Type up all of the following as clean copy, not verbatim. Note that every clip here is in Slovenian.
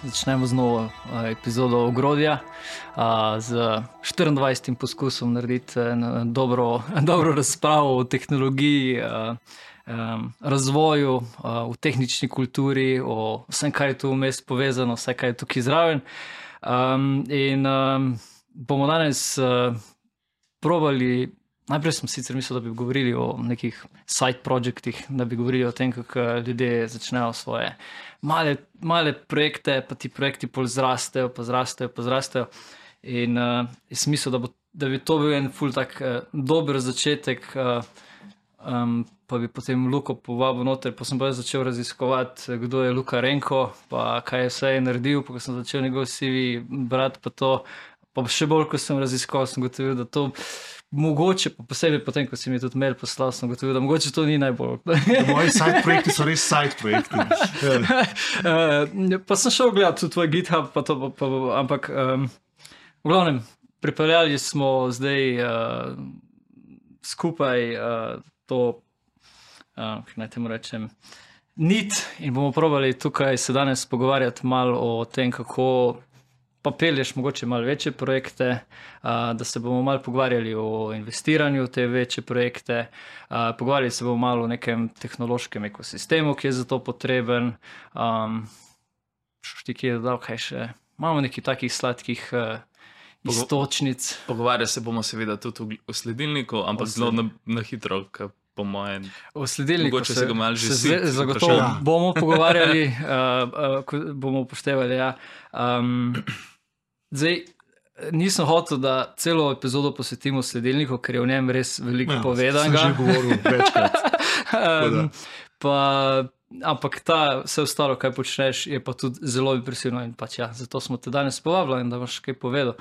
Začnemo z novo epizodo Ogrodja, z 24. poskusom narediti dobro razpravo o tehnologiji, razvoju, v tehnični kulturi, o vsem, kar je tu vmes povezano, vse, kar je tukaj zraven. Bomo danes probali. Najprej sem sicer mislil, da bi govorili o nekih side projektih, da bi govorili o tem, kako ljudje začnejo svoje male projekte, pa ti projekti pol zrastejo. In jaz mislil, da bi to bil en ful tak dober začetek, pa bi potem Luko povabil noter, pa sem pa začel raziskovati, kdo je Luka Renko, pa kaj je vse naredil, pa ko sem začel njegov CV brati, pa to, pa še bolj, ko sem raziskoval, sem gotovil, da to mogoče, pa posebej potem, ko si mi tudi mail poslal, sem gotovil, da mogoče to ni najbolj. Moji side projekti so res side projekti. Pa sem šel gledati tvoj GitHub, pa to, ampak v glavnem, pripeljali smo zdaj skupaj to, kaj naj temu rečem, nit, in bomo probali tukaj se danes pogovarjati malo o tem, kako pa pelješ mogoče malo večje projekte, da se bomo malo pogovarjali o investiranju v te večje projekte, pogovarjali se bomo malo o nekem tehnološkem ekosistemu, ki je za to potreben. Ti, ki je dodal, kaj še? Imamo nekaj takih sladkih istočnic. Pogovarjali se bomo seveda tudi o sledilniku, ampak zelo na hitro, po mojem. O sledilniku mogoče se ga malo že zagotovo bomo pogovarjali, bomo upoštevali, ja. Zdaj, nisem hotel, da celo epizodo posvetimo sledilniku, ker je v njem res veliko povedanega. Sem že govoril večkrat. Ampak vse ostalo, kaj počneš, je pa tudi zelo impresivno in pač ja, zato smo te danes povabili, da boš kaj povedal.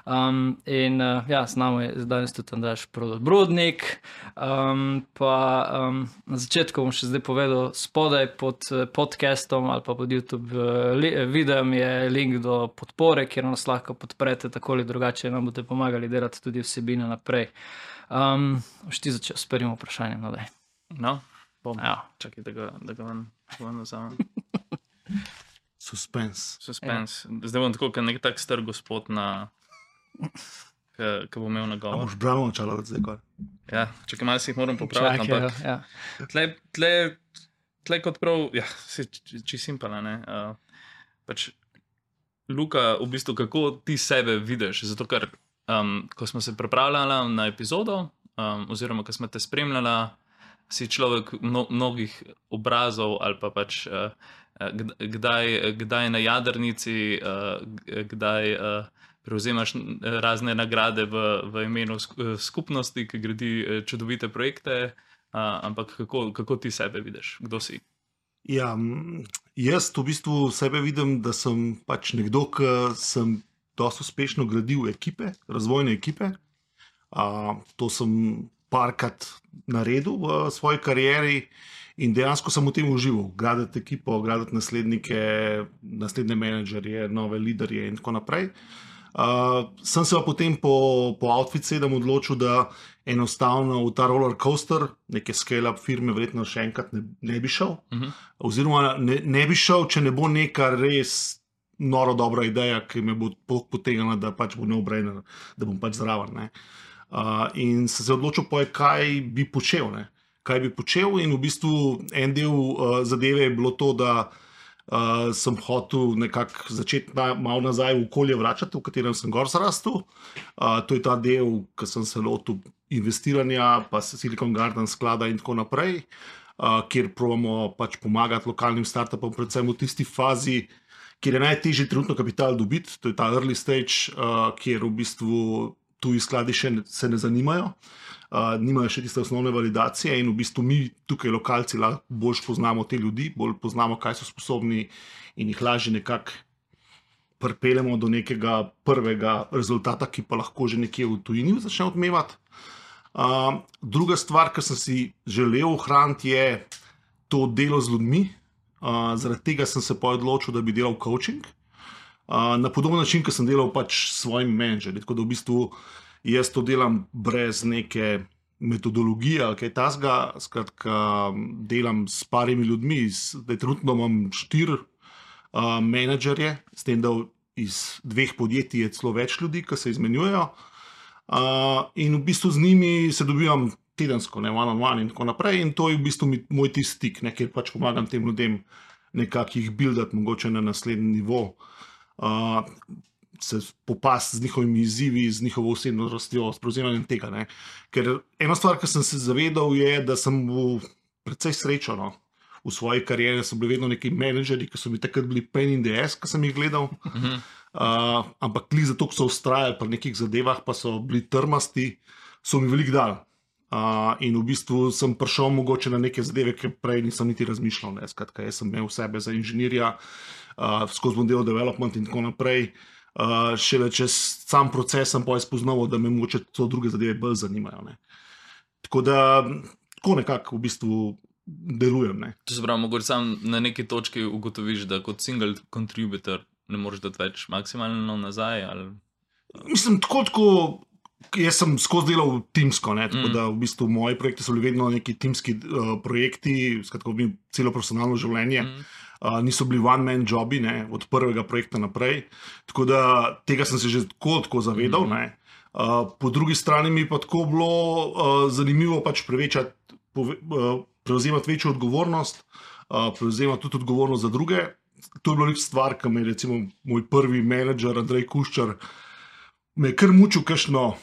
Z nami je danes tudi Andraž Prodor-Brodnik, na začetku bom še zdaj povedal, spodaj pod podcastom ali pa pod YouTube videom je link do podpore, kjer nas lahko podprete, tako ali drugače nam boste pomagali delati tudi vsebine naprej. Boš ti začel s prvim vprašanjem, no daj. No? Ja. Čakaj, da ga vam vzamem. Suspense. Zdaj bom tako, kot nek tak star gospod, ki bo imel nagovor. A boš bravo načalo od zdaj kar? Ja, čakaj, malo si jih moram popraviti, ampak ja. tle kot prav, ja, čisto simpala, ne. Pač, Luka, v bistvu, kako ti sebe vidiš, zato ker, ko smo se pripravljali na epizodo, oziroma, ko smo te spremljali, si človek mnogih obrazov ali pa pač kdaj na jadrnici, kdaj prevzemaš razne nagrade v imenu skupnosti, ki gradi čudovite projekte, ampak kako ti sebe vidiš? Kdo si? Ja, jaz v bistvu sebe vidim, da sem pač nekdo, ki sem dosti uspešno gradil ekipe, razvojne ekipe. To sem parkrat naredil v svoji karieri in dejansko sem v tem užival. Graditi ekipo, graditi naslednje menedžerje, nove liderje in tako naprej. Sem se pa potem po Outfit 7 odločil, da enostavno v ta roller coaster, neke scale-up firme, verjetno še enkrat ne bi šel. Oziroma ne bi šel, če ne bo neka res noro dobra ideja, ki me bo potegnila, da pač bo no-brainer, da bom pač zraven, ne. In sem se odločil, kaj bi počel, ne? Kaj bi počel, in v bistvu en del zadeve je bilo to, da sem hotel nekako začeti malo nazaj v okolje vračati, v katerem sem gor zrastel. To je ta del, ki sem se lotil investiranja, pa Silicon Garden sklada in tako naprej, kjer probamo pač pomagati lokalnim startupom, predvsem v tisti fazi, kjer je najtežje trenutno kapital dobiti, to je ta early stage, kjer v bistvu tuji skladi še se ne zanimajo, nimajo še tiste osnovne validacije in v bistvu mi tukaj lokalci bolj poznamo te ljudi, bolj poznamo, kaj so sposobni in jih lažje nekako pripeljemo do nekega prvega rezultata, ki pa lahko že nekje v tujini začne odmevati. Druga stvar, ki sem si želel ohraniti, je to delo z ljudmi. Zaradi tega sem se pa odločil, da bi delal coaching. Na podoben način, ki sem delal pač s svojim menedžerjem. Tako da v bistvu jaz to delam brez neke metodologije ali kaj takega. Skratka, delam s parimi ljudmi. Trenutno imam 4 menedžerje, s tem, da iz 2 podjetij je celo več ljudi, ki se izmenjujejo. In v bistvu z njimi se dobivam tedensko, ne one on one in tako naprej. In to je v bistvu moj tisti stik, kjer pač pomagam tem ljudem nekako jih buildati, mogoče na naslednji nivo. Se popasti z njihovimi izzivi, z njihovo osebno rastjo, s prevzemanjem tega. Ne. Ker ena stvar, ki sem se zavedal, je, da sem bil precej srečen. No. V svoji karieri so bili vedno neki menedžerji, ki so mi takrat bili pain in the ass, ki sem jih gledal. Ampak li zato, ko so ustrajali pri nekih zadevah, pa so bili trmasti, so mi veliko dali. In v bistvu sem prišel mogoče na neke zadeve, ki prej nisem niti razmišljal. Ne. Skratka, jaz sem imel sebe za inženirja, skozi bom delal development in tako naprej. Šele čez sam proces sem pa spoznal, da me mogoče to druge zadeve bolj zanimajo. Ne. Tako da, tako nekako v bistvu delujem. Ne. To se pravi, mogoče sam na neki točki ugotoviš, da kot single contributor ne moreš dati več maksimalno nazaj? Ali... Mislim, tako, jaz sem skozi delal timsko, ne, tako da v bistvu moji projekti so bili vedno neki timski projekti, skratka, celo profesionalno življenje. Niso bili one-man jobi, ne, od prvega projekta naprej. Tako da tega sem se že tako zavedal. Ne. Po drugi strani mi pa tako bilo zanimivo pač prevzemati večjo odgovornost, prevzemati tudi odgovornost za druge. To je bilo nek stvar, ki me je recimo moj prvi menedžer Andrej Kuščar me je kar mučil kakšno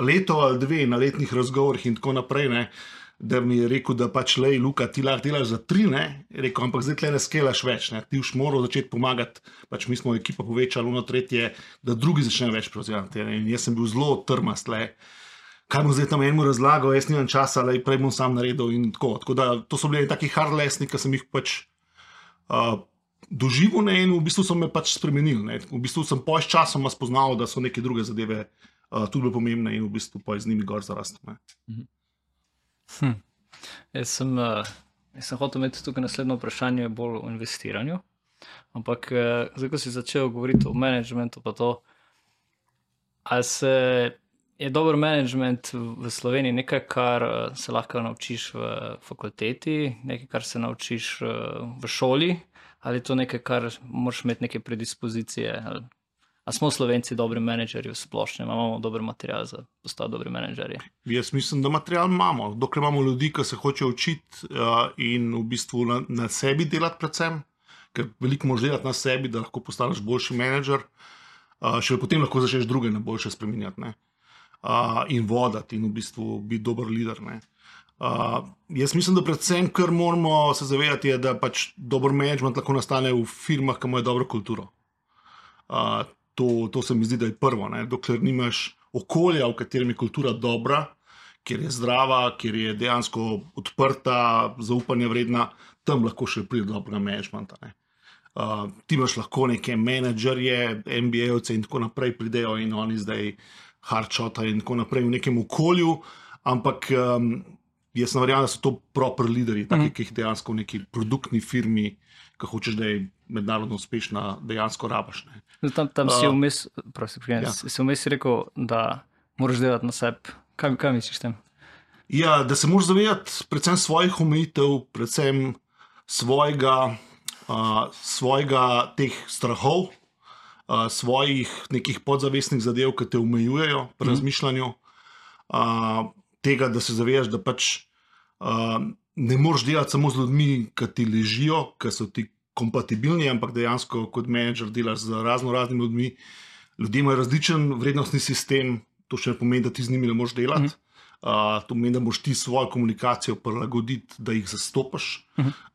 leto ali 2 na letnih razgovorih in tako naprej, ne, da mi je rekel, da pač lej, Luka, ti lahko delaš za 3, ne, je rekel, ampak zdaj tle ne skelaš več, ne, ti už moral začeti pomagati, pač mi smo ekipa povečali, ono tretje, da drugi začnejo več prevzemati, ne, in jaz sem bil zelo trmast, le, kaj bom zdaj tam enemu razlagal, jaz nimam časa, le, prej bom sam naredil in tako da to so bili taki hard lessons, ki sem jih pač doživel, ne, in v bistvu so me pač spremenili, ne, v bistvu sem po časoma spoznal, da so neke druge zadeve tudi bile pomembne in v bistvu pa z njimi gor zarastel, ne. Jaz sem hotel imeti tukaj naslednjo vprašanje bolj o investiranju, ampak zdaj, ko si začel govoriti o managementu pa to, ali je dober management v Sloveniji nekaj, kar se lahko naučiš v fakulteti, nekaj, kar se naučiš v šoli, ali je to nekaj, kar moraš imeti neke predispozicije, ali smo Slovenci dobri menedžerji v splošnem, imamo dober material za postati dobri menedžerji? Jaz mislim, da material imamo. Dokler imamo ljudi, ki se hočejo učiti in v bistvu na sebi delati predvsem, ker veliko moraš delati na sebi, da lahko postaneš boljši menedžer, še potem lahko začneš druge na boljše spreminjati, ne. In vodati in v bistvu biti dober lider, ne. Jaz mislim, da predvsem, kar moramo se zavedati, je, da pač dober management lahko nastane v firmah, ki imajo dobro kulturo. To se mi zdi, da je prvo, ne? Dokler nimaš okolja, v katerem je kultura dobra, kjer je zdrava, kjer je dejansko odprta, zaupanja vredna, tam lahko še pride do dobrega managementa. Ne? Ti imaš lahko neke menedžerje, MBA-ovce in tako naprej pridejo in oni zdaj hardshota in tako naprej v nekem okolju, ampak jaz ne verjamem, da so to proper lideri, taki, ki jih dejansko v neki produktni firmi, ki hočeš, da je mednarodno uspešna, dejansko rabaš. Ne. Tam si vmes, si vmes rekel, da moraš delati na sebi. Kaj misliš tem? Ja, da se moraš zavedati predvsem svojih omejitev, predvsem svojega teh strahov, svojih nekih podzavestnih zadev, ki te omejujejo pri razmišljanju, tega, da se zavedaš, da pač ne moreš delati samo z ljudmi, ki ti ležijo, ki so ti kompatibilni, ampak dejansko kot menedžer delaš z raznimi ljudmi. Ljudje imajo različen vrednostni sistem, to še ne pomeni, da ti z njimi ne moreš delati. To pomeni, da moraš ti svojo komunikacijo prilagoditi, da jih zastopaš,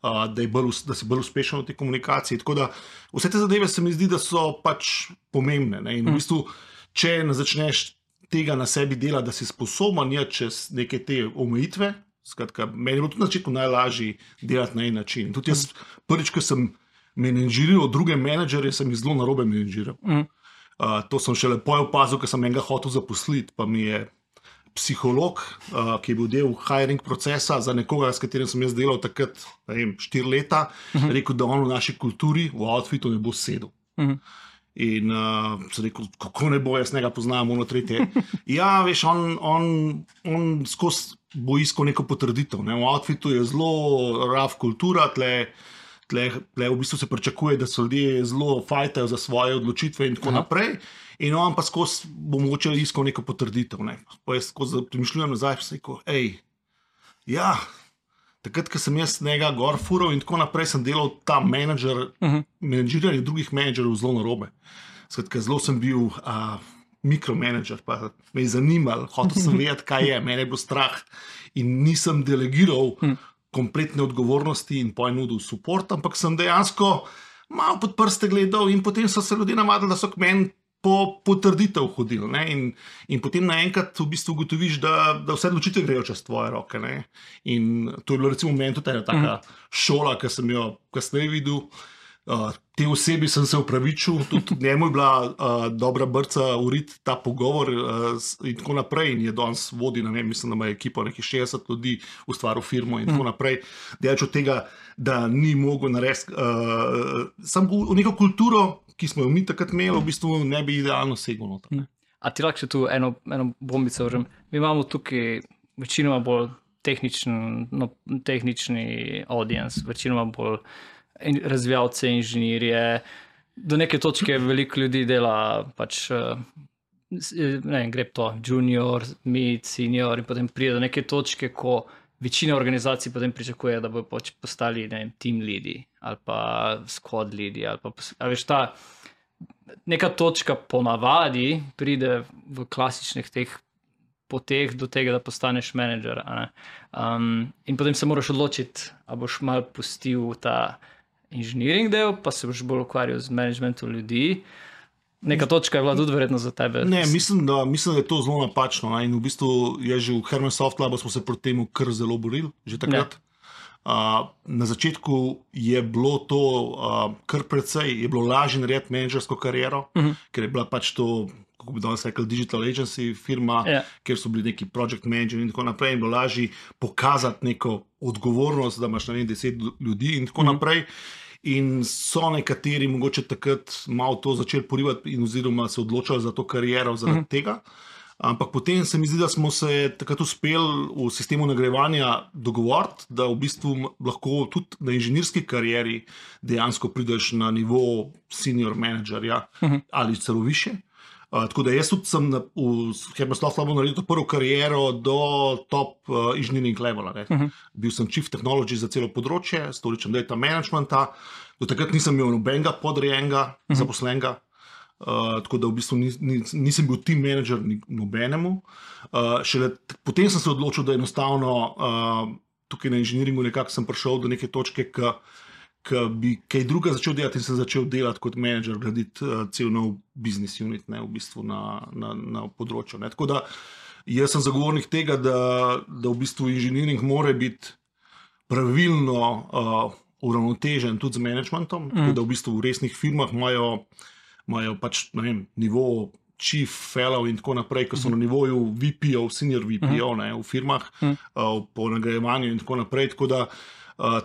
da si bolj uspešen v tej komunikaciji. Tako da vse te zadeve se mi zdi, da so pač pomembne. Ne? In v bistvu, če ne začneš tega na sebi delati, da si sposoben čez neke te omejitve, skratka, meni je bilo tudi na začetku najlažje delati na en način. Tudi jaz prvič, ko sem menedžiral druge menedžerje, sem jih zelo narobe menedžiral. To sem šele opazil, ko sem enega hotel zaposliti, pa mi je psiholog, ki je bil del hiring procesa za nekoga, s katerim sem jaz delal takrat 4 leta, rekel, da on v naši kulturi, v outfitu ne bo sedel. In sem rekel, kako ne bo, jaz njega poznam, ono tretje. Ja, veš, on skozi bo iskal neko potrditev. Ne? V outfitu je zelo raf kultura, tle tle v bistvu se pričakuje, da so ljudje zelo fajtajo za svoje odločitve in tako naprej. In on pa skozi bo mogoče iskal neko potrditev. Ne. Pa jaz skozi premišljujem nazaj, pa sem rekel, ja, takrat, ko sem jaz njega gor fural in tako naprej, sem delal ta menedžiranje drugih menedžerov zelo narobe. Skratka, zelo sem bil mikromanager, pa me je zanimal, hotel sem vedeti, kaj je, mene je bilo strah in nisem delegiral kompletne odgovornosti in nudil support, ampak sem dejansko malo pod prste gledal in potem so se ljudje navadili, da so k meni po potrditev hodili. Ne? In potem naenkrat v bistvu ugotoviš, da vse odločitve grejo čez tvoje roke. Ne? In to je bilo recimo meni tudi ena taka šola, ki sem jo kasneje videl. Te osebi sem se upravičil, tudi njemu je bila dobra brca uriti ta pogovor in tako naprej. In je danes vodi, ne vem, mislim, da ima ekipo nekih 60 ljudi, ustvaril firmo in tako naprej. Delač od tega, da ni mogel narediti, samo v neko kulturo, ki smo jo mi takrat imeli, v bistvu ne bi idealno segel noter. A ti lahko še tu eno bombico vržem? Mi imamo tukaj večinoma bolj tehnični audience, večinoma bolj razvijalce, inženirje. Do neke točke veliko ljudi dela pač, ne vem, gre to junior, mid, senior in potem pride do neke točke, ko večina organizacij potem pričakuje, da bo pač postali, ne vem, team leadi ali pa squad leadi ali pa, a veš, ta neka točka ponavadi pride v klasičnih teh poteh do tega, da postaneš menedžer. In potem se moraš odločiti, a boš malo pustil ta inženiring del, pa se boš bolj ukvarjal z managementom ljudi. Neka točka je bila tudi verjetno za tebe. Ne, mislim, da je to zelo napačno. Ne? In v bistvu je že v Herman Soft Labu smo se proti temu kar zelo borili, že takrat. Na začetku je bilo to kar precej, je bilo lažje narediti menedžersko kariero, ker je bila pač to, kako bi danes rekel, digital agency firma, kjer so bili neki project manager in tako naprej, in bilo lažje pokazati neko odgovornost, da imaš na 10 ljudi in tako naprej. In so nekateri mogoče takrat malo to začeli porivati in oziroma se odločali za to kariero zaradi tega. Ampak potem se mi zdi, da smo se takrat uspeli v sistemu nagrajevanja dogovoriti, da v bistvu lahko tudi na inženirski karieri dejansko prideš na nivo senior managerja ali celo više. Tako da jaz tudi sem v Herman Soft Labu naredil prvo kariero do top engineering levela. Bil sem chief technology za celo področje, s toliko data managementa. Do takrat nisem imel nobenega podrejenega zaposlenega. Tako da v bistvu nisem bil team manager nobenemu. Šele potem sem se odločil, da enostavno tukaj na inženiringu nekako sem prišel do neke točke, ki bi kaj druga začel delati in sem začel delati kot manager, graditi cel nov business unit, ne, v bistvu na področju. Ne. Tako da jaz sem zagovornik tega, da v bistvu inženiring mora biti pravilno uravnotežen tudi z managementom, tako da v bistvu v resnih firmah imajo pač, ne vem, nivo chief fellow in tako naprej, ko so na nivoju VP-ov, senior VP-ov v firmah, po nagrajevanju in tako naprej, tako da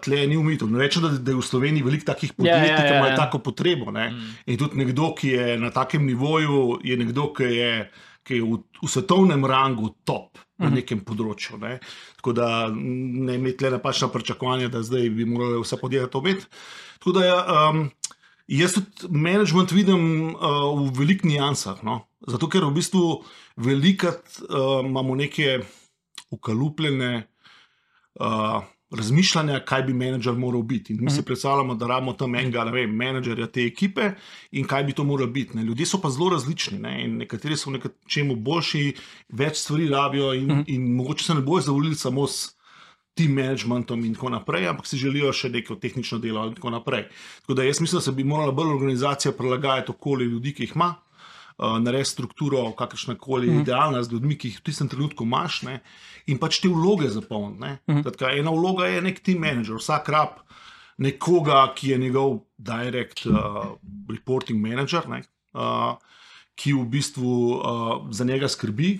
tle ni umitev. Ne rečem, da je v Sloveniji veliko takih podjetij, ki imajo tako potrebo. Ne? In tudi nekdo, ki je na takem nivoju, je nekdo, ki je v svetovnem rangu top na nekem področju. Ne? Tako da ne imeti tle napačna pričakovanja, da zdaj bi morali vse podjetja to imeti. Tako da jaz tudi management vidim v velikih nijansah. No? Zato, ker v bistvu velikrat imamo neke ukalupljene razmišljanja, kaj bi menedžer moral biti. In mi se predstavljamo, da rabimo tam enega, ne vem, menedžerja te ekipe in kaj bi to moralo biti. Ne? Ljudje so pa zelo različni, ne? In nekateri so v nečemu boljši, več stvari rabijo in mogoče se ne bojo zavolili samo s team managementom in tako naprej, ampak si želijo še neko tehnično delo in tako naprej. Tako da jaz mislim, da se bi morala bolj organizacija prilagajati okoli ljudi, ki jih ima, narediti strukturo, kakršnakoli idealna z ljudmi, ki jih v tistem trenutku imaš, ne? In pač te vloge zapolniti. Ena vloga je nek team manager, vsak rab nekoga, ki je njegov direct reporting manager, ne? Ki v bistvu za njega skrbi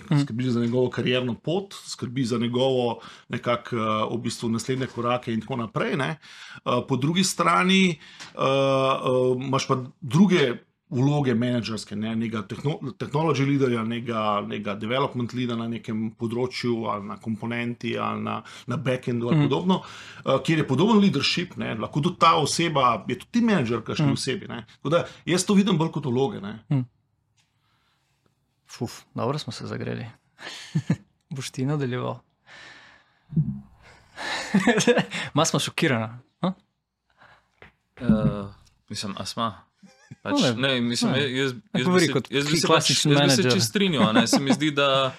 za njegovo karierno pot, skrbi za njegovo nekako v bistvu naslednje korake in tako naprej. Ne? Po drugi strani imaš pa druge vloge menedžerske, nekega technology leaderja, nekega development leader na nekem področju ali na komponenti ali na backendu ali podobno, kjer je podoben leadership, lahko tudi ta oseba, je tudi menedžer, kakšni osebi. Tako da jaz to vidim bolj kot vloge. Dobro smo se zagreli. Boš ti nadaljeval. Ma smo šokirana. Mislim, asma. Ne, mislim, jaz bi se klasičen menedžer. čist strinjal, se mi zdi, da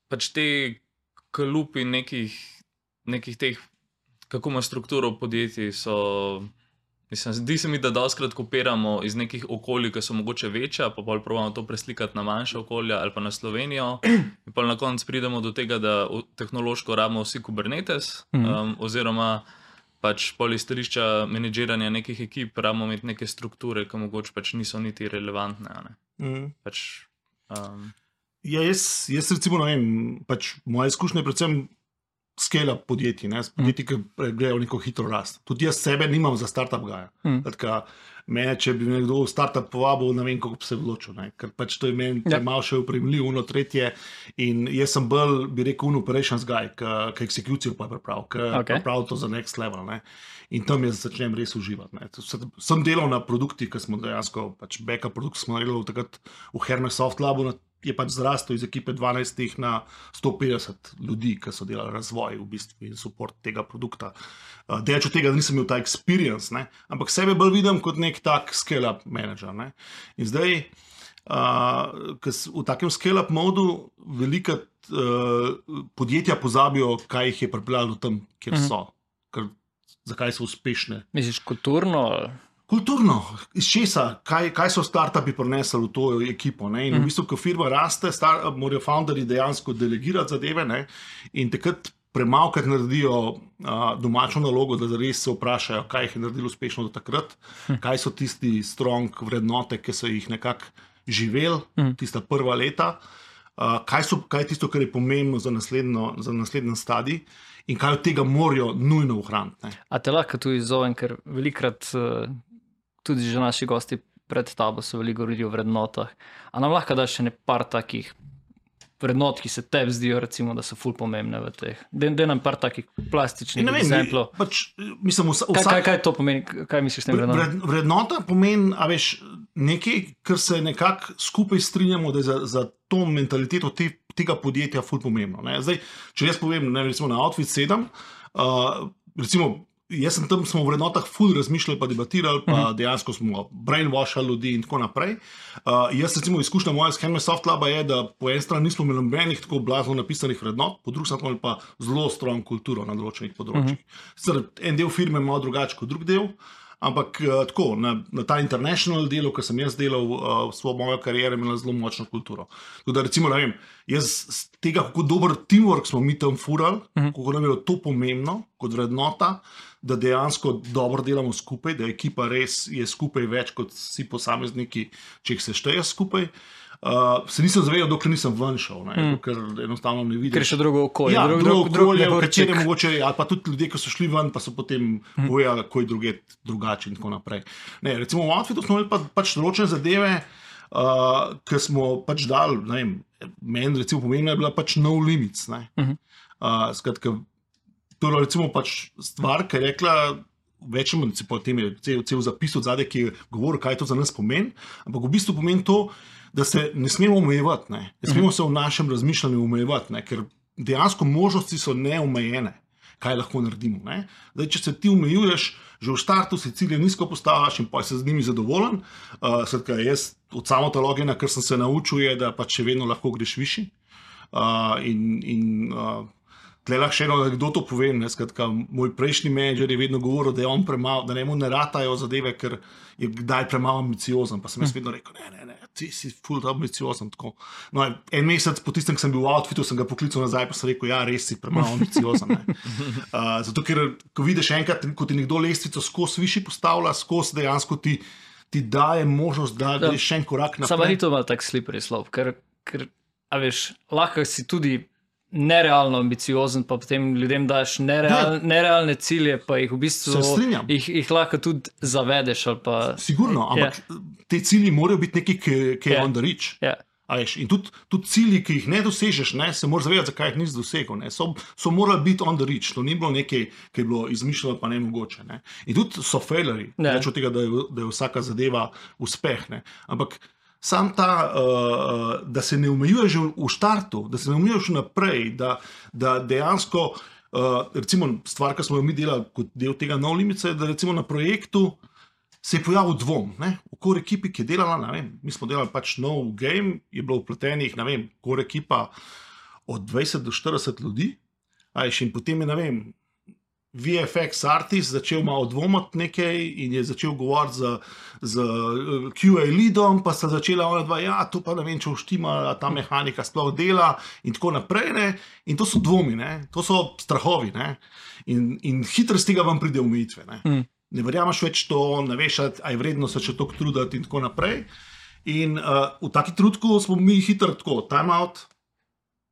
pač te kalupi nekih teh, kako ima strukturo podjetij, so, mislim, zdi se mi, da dostkrat kopiramo iz nekih okolij, ki so mogoče večja, pa bolj probamo to preslikati na manjša okolja ali pa na Slovenijo, in pa na koncu pridemo do tega, da tehnološko rabimo vsi Kubernetes, oziroma pač pol iz stališča menedžiranja nekih ekip rabimo imeti neke strukture, ki mogoče pač niso niti relevantne. Pač, Ja, jaz recimo, ne vem, pač moja izkušnja je predvsem scale-up podjetij, podjetij, ki grejo neko hitro rast. Tudi jaz sebe nimam za startup gaja. Mene, če bi me nekdo v startup povabil, ne vem, kako bi se odločil, ker pač to je meni malo še upremljiv, tretje, in jaz sem bolj, bi rekel, operations guy, ki eksekucijo pa pripravil to za next level, in tam jaz začnem res uživati. Sem delal na produktih, ki smo dejansko, pač backup produkt smo naredili takrat v Hermes Soft Labu, je pač zrastel iz ekipe 12 na 150 ljudi, ki so delali razvoj v bistvu in support tega produkta. Delač od tega, da nisem imel ta experience, ampak sebe bolj vidim kot nek tak scale-up manager. In zdaj, v takem scale-up modu velika podjetja pozabijo, kaj jih je pripeljalo tam, kjer so, zakaj so uspešne. Misliš kulturno? Kulturno, iz česa, kaj so startupi prinesli v to ekipo. In v bistvu, ko firma raste, morajo founderji dejansko delegirati zadeve, in takrat premalkrat naredijo domačo nalogo, da res se vprašajo, kaj jih je naredilo uspešno do takrat, kaj so tisti strong vrednote, ki so jih nekako živeli, tista prva leta, kaj je tisto, kar je pomembno za naslednji stadij in kaj od tega morajo nujno ohraniti. A te lahko tu izzovem, ker velikrat tudi že naši gosti pred tabo so veliko govorili o vrednotah. A nam lahko daš še par takih vrednot, ki se tebi zdijo, recimo, da so ful pomembne v teh? Dej nam par takih plastičnih exemplov. Kaj to pomeni? Kaj misliš s tem vrednotam? Vrednota pomeni, nekaj, kar se nekako skupaj strinjamo, da je za to mentaliteto tega podjetja ful pomembno. Zdaj, če jaz povem, recimo na Outfit 7, recimo, jaz sem tam, smo v vrednotah ful razmišljali, pa debatirali, pa dejansko smo brainwashali ljudi in tako naprej. Jaz recimo izkušnja moja s Hermes Soft Laba je, da po eni strani nismo imeli nobenih tako blazno napisanih vrednot, po drugi strani pa zelo strong kulturo na določenih področjih. En del firme je malo drugače kot drug del, ampak tako, na ta international delu, ki sem jaz delal v svojo mojo kariero, imela zelo močno kulturo. Tako da recimo, ne vem, jaz z tega, kako dober teamwork smo mi tam furali, kako nam je to pomembno kot vrednota, da dejansko dobro delamo skupaj, da ekipa res je skupaj več kot vsi posamezniki, če jih se šteje skupaj. Se nisem zavedal, dokler nisem ven šel, ker enostavno ne vidiš. Ker je še drugo okolje. Ja, drugo okolje, v katerem mogoče, ali pa tudi ljudje, ki so šli ven, pa so potem povedali, kako je drugače in tako naprej. Recimo v Outfitu smo imeli pač določene zadeve, ki smo pač dali, ne vem, meni recimo pomembna je bila pač no limits. Skratka, to je recimo pač stvar, ki je rekla, večjem, potem je cel zapis od zadaj, ki je govoril, kaj to za nas pomeni, ampak v bistvu pomeni to, da se ne smemo omejevati, ne smemo se v našem razmišljanju omejevati, ker dejansko možnosti so neomejene, kaj lahko naredimo. Zdaj, če se ti omejuješ, že v startu si cilje nizko postavljaš in pa si z njimi zadovoljen. Skratka, jaz od samotologena, kar sem se naučil, je, da pač še vedno lahko greš višji. Tle lahko še eno anekdoto povem, skratka, moj prejšnji menedžer je vedno govoril, da je on premalo, da njemu ne ratajo zadeve, ker je kdaj premalo ambiciozen, pa sem jaz vedno rekel, ne, ti si ful ambiciozen, tako. No, en mesec po tistem, ko sem bil v Outfitu, sem ga poklical nazaj, pa sem rekel, ja, res si premalo ambiciozen. Zato, ker ko vidiš enkrat, ko ti nekdo lestvico skozi višji postavlja, skozi dejansko ti daje možnost, da greš še en korak naprej. Samo ni to malo tak slippery slope, ker a veš, lahko si tudi nerealno ambiciozen, pa potem ljudem daš nerealne cilje, pa jih v bistvu jih lahko tudi zavedeš. Sigurno, ampak te cilji morajo biti nekaj, ki je on the reach. In tudi cilji, ki jih ne dosežeš, se moraš zavedati, zakaj jih nisi dosegel. So morali biti on the reach, to ni bilo nekaj, ki je bilo izmišljeno, pa ne mogoče. In tudi so failerji, več od tega, da je vsaka zadeva uspeh. Ampak sam ta, da se ne omejuješ v štartu, da se ne omejuješ naprej, da dejansko, recimo stvar, ki smo jo mi delali kot del tega No Limits, je, da recimo na projektu se je pojavil dvom. Okoli ekipi, ki je delala, mi smo delali pač nov game, je bilo vpletenih, okoli ekipa od 20 do 40 ljudi, in potem je, VFX artist začel malo dvomati nekaj in je začel govoriti z QA leadom, pa sta začela ona dva, to pa ne vem, če vštima, ta mehanika sploh dela in tako naprej. In to so dvomi, to so strahovi. In hitro z tega vam pride omejitve. Ne verjameš več to, ne veš, a je vredno se še toliko truditi in tako naprej. In v taki trenutku smo mi hitro tako, time out,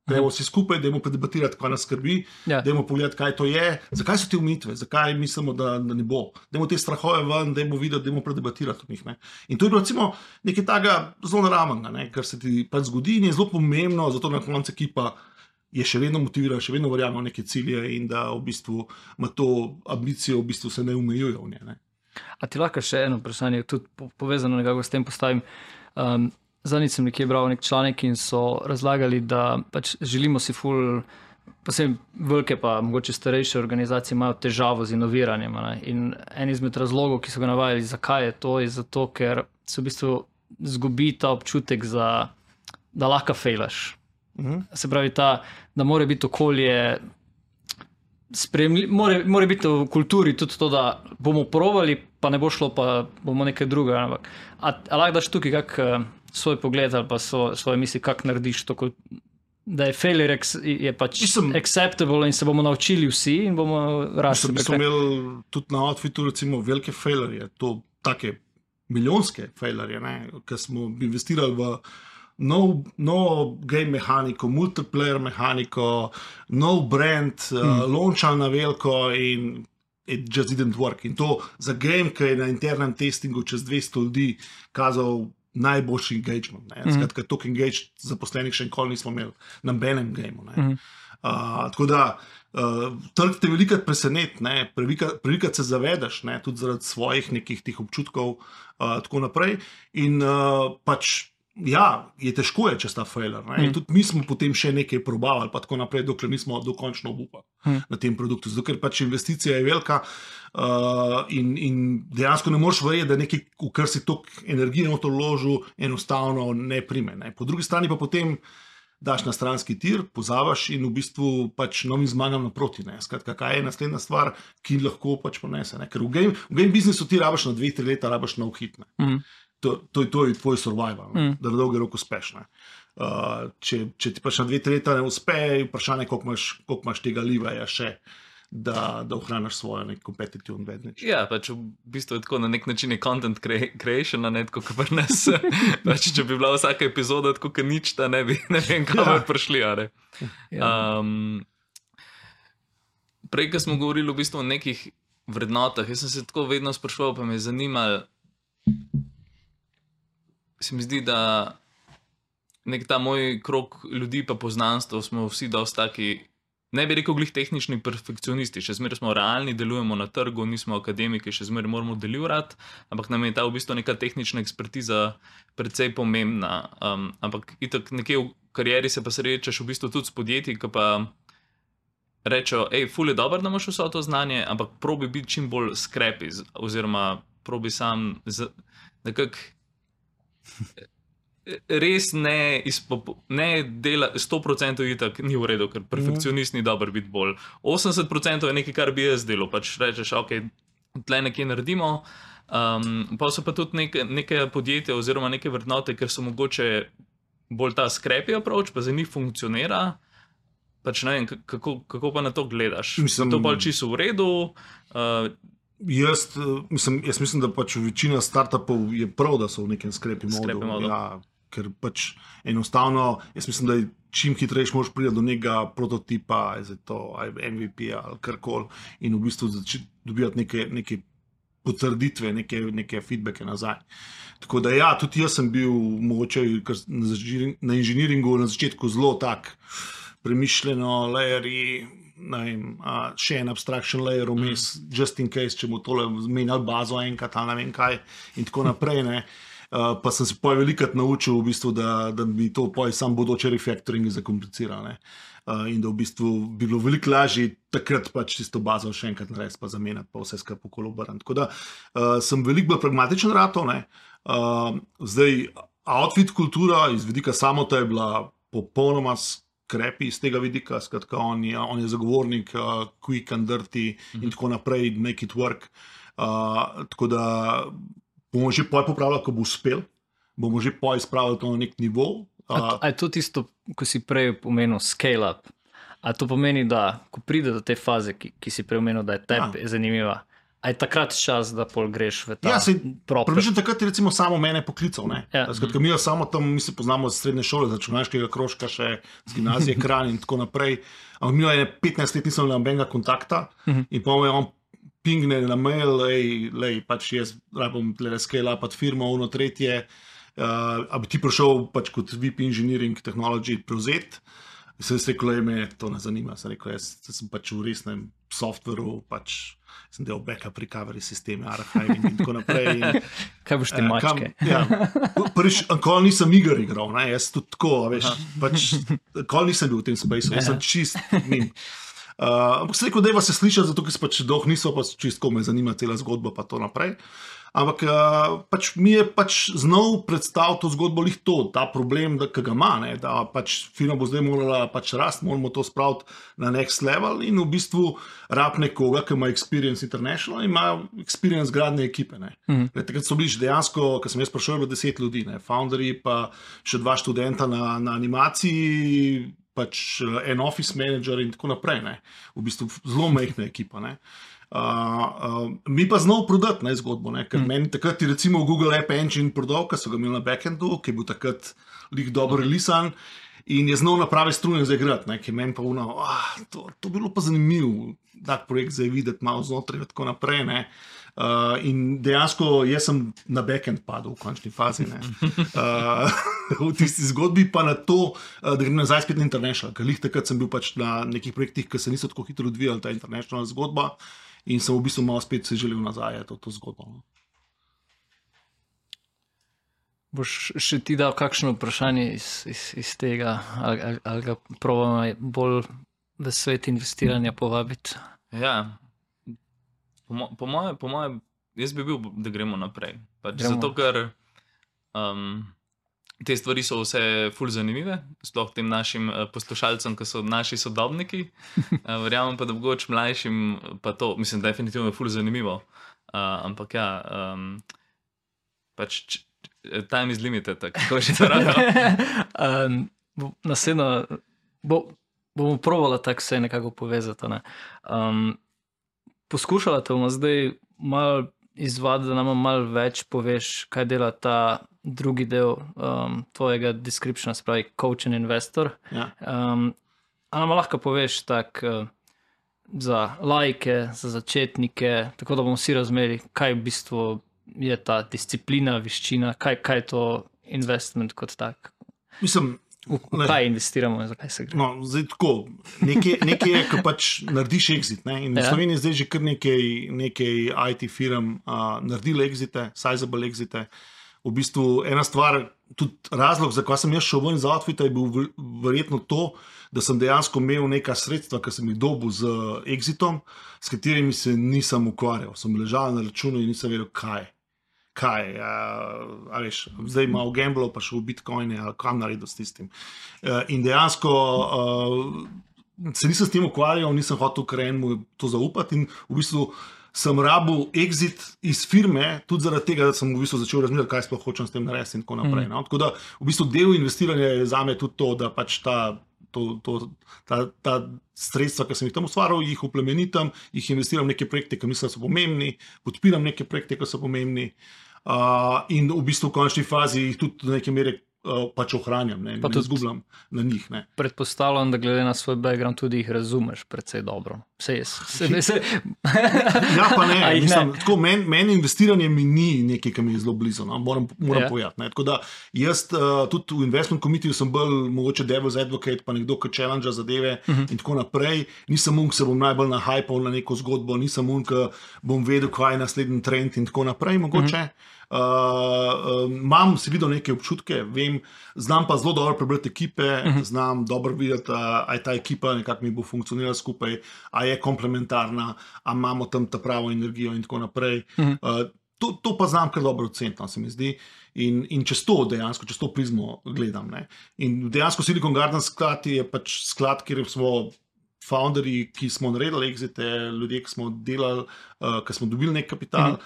gremo vsi skupaj, dajmo predebatirati, kaj nas skrbi, dajmo pogledati, kaj to je, zakaj so te omejitve, zakaj mislimo, da ne bo. Dajmo te strahove ven, dajmo videti, dajmo predebatirati o njih. In to je bilo recimo nekaj takega zelo naravnega, kar se ti pač zgodi in je zelo pomembno, zato na koncu ekipa je še vedno motivirana, še vedno verjame v neke cilje in da v bistvu ima to ambicijo, v bistvu se ne omejuje v nje. A ti lahko še eno vprašanje, tudi povezano nekako s tem postavim. Zadnjič sem nekje bral nek članek in so razlagali, da pač želimo si posebej velike pa mogoče starejše organizacije imajo težavo z inoviranjem. In en izmed razlogov, ki so ga navajali, zakaj je to, je zato, ker se v bistvu zgubi ta občutek, da lahko fejlaš. Se pravi, da mora biti okolje mora biti v kulturi tudi to, da bomo provali, pa ne bo šlo, pa bomo nekaj drugega. A lahko daš tukaj kak svoj pogled ali pa svoje misli, kak narediš to, da je failure je pač acceptable in se bomo naučili vsi in bomo rasli. Mi smo imeli tudi na Outfitu recimo velike failure, to take milijonske failure, ker smo investirali v nov game mehaniko, multiplayer mehaniko, nov brand, launchal na veliko in it just didn't work. In to za game, ki je na internem testingu čez 200 ljudi kazal najboljši engagement. Skratka, toliko engaged zaposlenih še nikoli nismo imeli na benem gameu. Tako da trg te velikrat preseneti, prevelikrat se zavedaš, tudi zaradi svojih nekih tih občutkov tako naprej. In pač je težko je čez ta failure. In tudi mi smo potem še nekaj probavali, pa tako naprej, dokler nismo dokončno obupali na tem produktu. Zato, ker pač investicija je velika in dejansko ne moreš verjeti, da nekaj, v kar si toliko energije v to vložil, enostavno ne prime. Po drugi strani pa potem daš na stranski tir, pozabiš in v bistvu pač novim zmagam naproti. Skratka, kaj je naslednja stvar, ki lahko pač ponese. Ker v game biznisu ti rabiš na 2-3 leta, rabiš nov hit. To je tvoj survival, da na dolgi rok uspeš. Če ti pač na 2-3 leta ne uspe, vprašanje, koliko imaš tega livaja še, da ohraniš svojo nek competitive advantage. Ja, pač v bistvu je tako na nek način je content creation, tako kot pri nas. Pač, če bi bila vsaka epizoda tako kot nič, da ne vem, kamor prišli. Prej, ko smo govorili v bistvu o nekih vrednotah, jaz sem se tako vedno spraševal, pa me je zanimalo, se mi zdi, da nek ta moj krog ljudi pa poznanstvo smo vsi dosti taki, ne bi rekel glih tehnični perfekcionisti, še zmeraj smo realni, delujemo na trgu, nismo akademiki, še zmeraj moramo delirati, ampak nam je ta v bistvu neka tehnična ekspertiza precej pomembna. Ampak itak nekje v karieri se pa srečaš v bistvu tudi s podjetji, ki pa rečejo, ful je dobro, da imaš vso to znanje, ampak probi biti čim bolj skrepi, oziroma probi sam nekako res ne dela 100% itak ni v redu, ker perfekcionist ni dober biti bolj. 80% je nekaj, kar bi jaz delal, pač rečeš, tle nekje naredimo, pa so pa tudi neke podjetja oziroma neke vrednote, ker so mogoče bolj ta scrappy approach, pa za njih funkcionira, pač ne vem, kako pa na to gledaš? To pa čisto v redu? Jaz mislim, da pač večina startupov je prav, da so v nekem scrappy modu. ker pač enostavno, jaz mislim, da čim hitreje moraš priti do nekega prototipa, MVP ali karkoli, in v bistvu začeti dobivati neke potrditve, neke feedbacke nazaj. Tako da ja, tudi jaz sem bil mogoče na inženiringu na začetku zelo tak premišljeno, layeri, še en abstraction layer vmes, just in case, če bo tole zmenjal bazo enkrat ali ne vem kaj in tako naprej, ne. Pa sem se velikrat naučil v bistvu, da mi to sam bodoče refactoringi zakomplicira, ne. In da v bistvu bi bilo veliko lažje takrat pač tisto bazo še enkrat narediti, pa zamenjati, pa vse skupaj okoli obrniti. Tako da sem veliko bolj pragmatičen ratov, ne. Zdaj, outfit kultura iz vidika samota je bila popolnoma skrepi iz tega vidika, skratka, on je zagovornik quick and dirty in tako naprej, make it work. Tako da bomo že popravljali, ko bo uspel, bomo že izpravili to na nek nivo. A je to tisto, ko si prej pomenil scale up? A to pomeni, da ko pride do te faze, ki si prej omenil, da je tebi zanimiva, a je takrat čas, da pol greš v ta proper? Približno takrat je recimo samo mene poklical, ne. Skratka, mi samo tam, mi se poznamo z srednje šole, z računalniškega krožka še, z gimnazije Kranj in tako naprej. Ampak mi je 15 let nisem imel nobenega kontakta in pa me on pingne na mail, pač jaz rabim scale up firmo, ono tretje, a bi ti prišel pač kot VP Engineering Technology prevzeti. Sem rekel, me to ne zanima. Sem rekel, jaz sem pač v resnem softveru, pač sem del backup recovery sisteme, archiving in tako naprej. Kaj boš ti mačke? Prvič, nikoli nisem iger igral, ne, jaz tudi tako, veš, pač nikoli nisem bil v tem spaceu, jaz sem čist min. Ampak sem rekel, dajva se slišati, zato ker se pač dolg niso, pa čist ko me zanima cela zgodba, pa to naprej. Ampak pač mi je pač znal predstaviti to zgodbo lih to, ta problem, ki ga ima, ne, da pač firma bo zdaj morala pač rast, moramo to spraviti na next level in v bistvu rab nekoga, ki ima experience international in ima experience gradne ekipe, ne. Takrat so bili dejansko, ko sem jaz prišel, bilo 10 ljudi, ne, founderji pa še 2 študenta na animaciji, pač en office manager in tako naprej, ne. V bistvu zelo majhna ekipa, ne. Mi pa znal prodati, ne, zgodbo, ne, ker meni takrat je recimo Google App Engine prodal, ki so ga imeli na backendu, ki je bil takrat lik dobro releasan in je znal na prave strune zaigrati, ne, ki je meni pa to bilo pa zanimivo, tak projekt zdaj videti malo znotraj in tako naprej, ne. In dejansko jaz sem na backend padel v končni fazi, ne. V tisti zgodbi pa na to, da grem nazaj spet na international, ker lih takrat sem bil pač na nekih projektih, ki se niso tako hitro odvijali, ta international zgodba. In sem v bistvu malo spet se želel nazaj to zgodbo. Boš še ti dal kakšno vprašanje iz tega, ali ga probamo bolj v svet investiranja povabiti? Ja, po moje, jaz bi bil, da gremo naprej. Zato, ker te stvari so vse ful zanimive, sploh tem našim poslušalcem, ki so naši sodobniki. Verjamem pa, da mogoče mlajšim pa to, mislim, definitivno je ful zanimivo. Ampak ja, pač time is limited, kako že to rado. Naslednjo, bomo probali tako se nekako povezati, ne. Poskušala te bomo zdaj malo izvaditi, da nam malo več poveš, kaj dela ta drugi del tvojega descriptiona, se pravi coach and investor. Ja. A nam lahko poveš tako za laike, za začetnike, tako da bomo vsi razumeli, kaj v bistvu je ta disciplina, veščina, kaj je to investment kot tak. Mislim, v kaj investiramo in zakaj se gre? No, zdaj tako, nekaj je, ko pač narediš exit, ne, in v Sloveniji zdaj že kar nekaj IT firm naredili exite, sizable exite. V bistvu ena stvar, tudi razlog, zakaj sem jaz šel ven iz outfita, je bil verjetno to, da sem dejansko imel neka sredstva, ki sem jih dobil z exitom, s katerimi se nisem ukvarjal. Sem ležal na računu in nisem vedel, kaj. A veš, zdaj malo gamblo, pa šel v bitcoine, ali kam naredil s tistim. In dejansko se nisem s tem ukvarjal, nisem hotel mu to zaupati in v bistvu sem rabil exit iz firme, tudi zaradi tega, da sem v bistvu začel razmišljati, kaj sploh hočem s tem narediti in tako naprej. No? Tako da v bistvu del investiranja je zame tudi to, da pač ta sredstva, ki sem jih tam ustvaril, jih uplemenitam, jih investiram v neke projekte, ki mislim, da so pomembni, podpiram neke projekte, ki so pomembni in v bistvu v končni fazi jih tudi do neke mere pač ohranjam, ne tudi izgubljam na njih. Ne. Predpostavljam, da glede na svoj background tudi jih razumeš precej dobro. Ja, pa ne. Mislim, tako, meni investiranje mi ni nekaj, ki mi je zelo blizu. No? Moram povedati. Ne. Tako da jaz tudi v investment committee sem bolj mogoče devil's advocate, pa nekdo, ki challenge zadeve in tako naprej. Nisem ki se bom najbolj nahajpal na neko zgodbo, nisem ki bom vedel, kaj je naslednji trend in tako naprej mogoče. Imam si videl neke občutke, znam pa zelo dobro prebrati ekipe, znam dobro videti, a je ta ekipa nekako mi bo funkcionirala skupaj, a je komplementarna, a imamo tam ta pravo energijo in tako naprej. To pa znam kar dobro oceniti, se mi zdi. In čez to dejansko, čez to prizmo gledam. Ne. In dejansko Silicon Gardens sklad je pač sklad, kjer smo founderji, ki smo naredili exite, ljudje, ki smo delali, ki smo dobili nek kapital,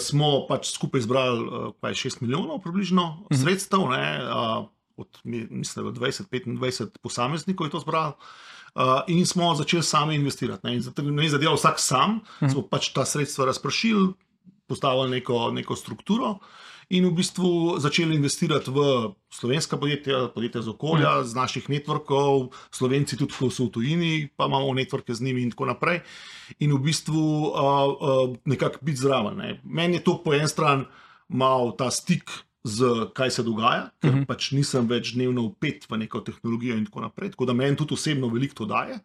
smo pač skupaj zbrali 6 milijonov približno sredstev, od mislim, 20-25 posameznikov je to zbrali. In smo začeli sami investirati. Ne. In ne zadeva vsak sam, smo pač ta sredstva razpršili, postavili neko strukturo in v bistvu začeli investirati v slovenska podjetja z okolja, z naših networkov, Slovenci tudi, ko so v tujini, pa imamo networke z njimi in tako naprej. In v bistvu nekako biti zraven. Ne. Meni je to po en stran mal ta stik z kaj se dogaja, ker pač nisem več dnevno vpet v neko tehnologijo in tako naprej, tako da meni tudi osebno veliko to daje.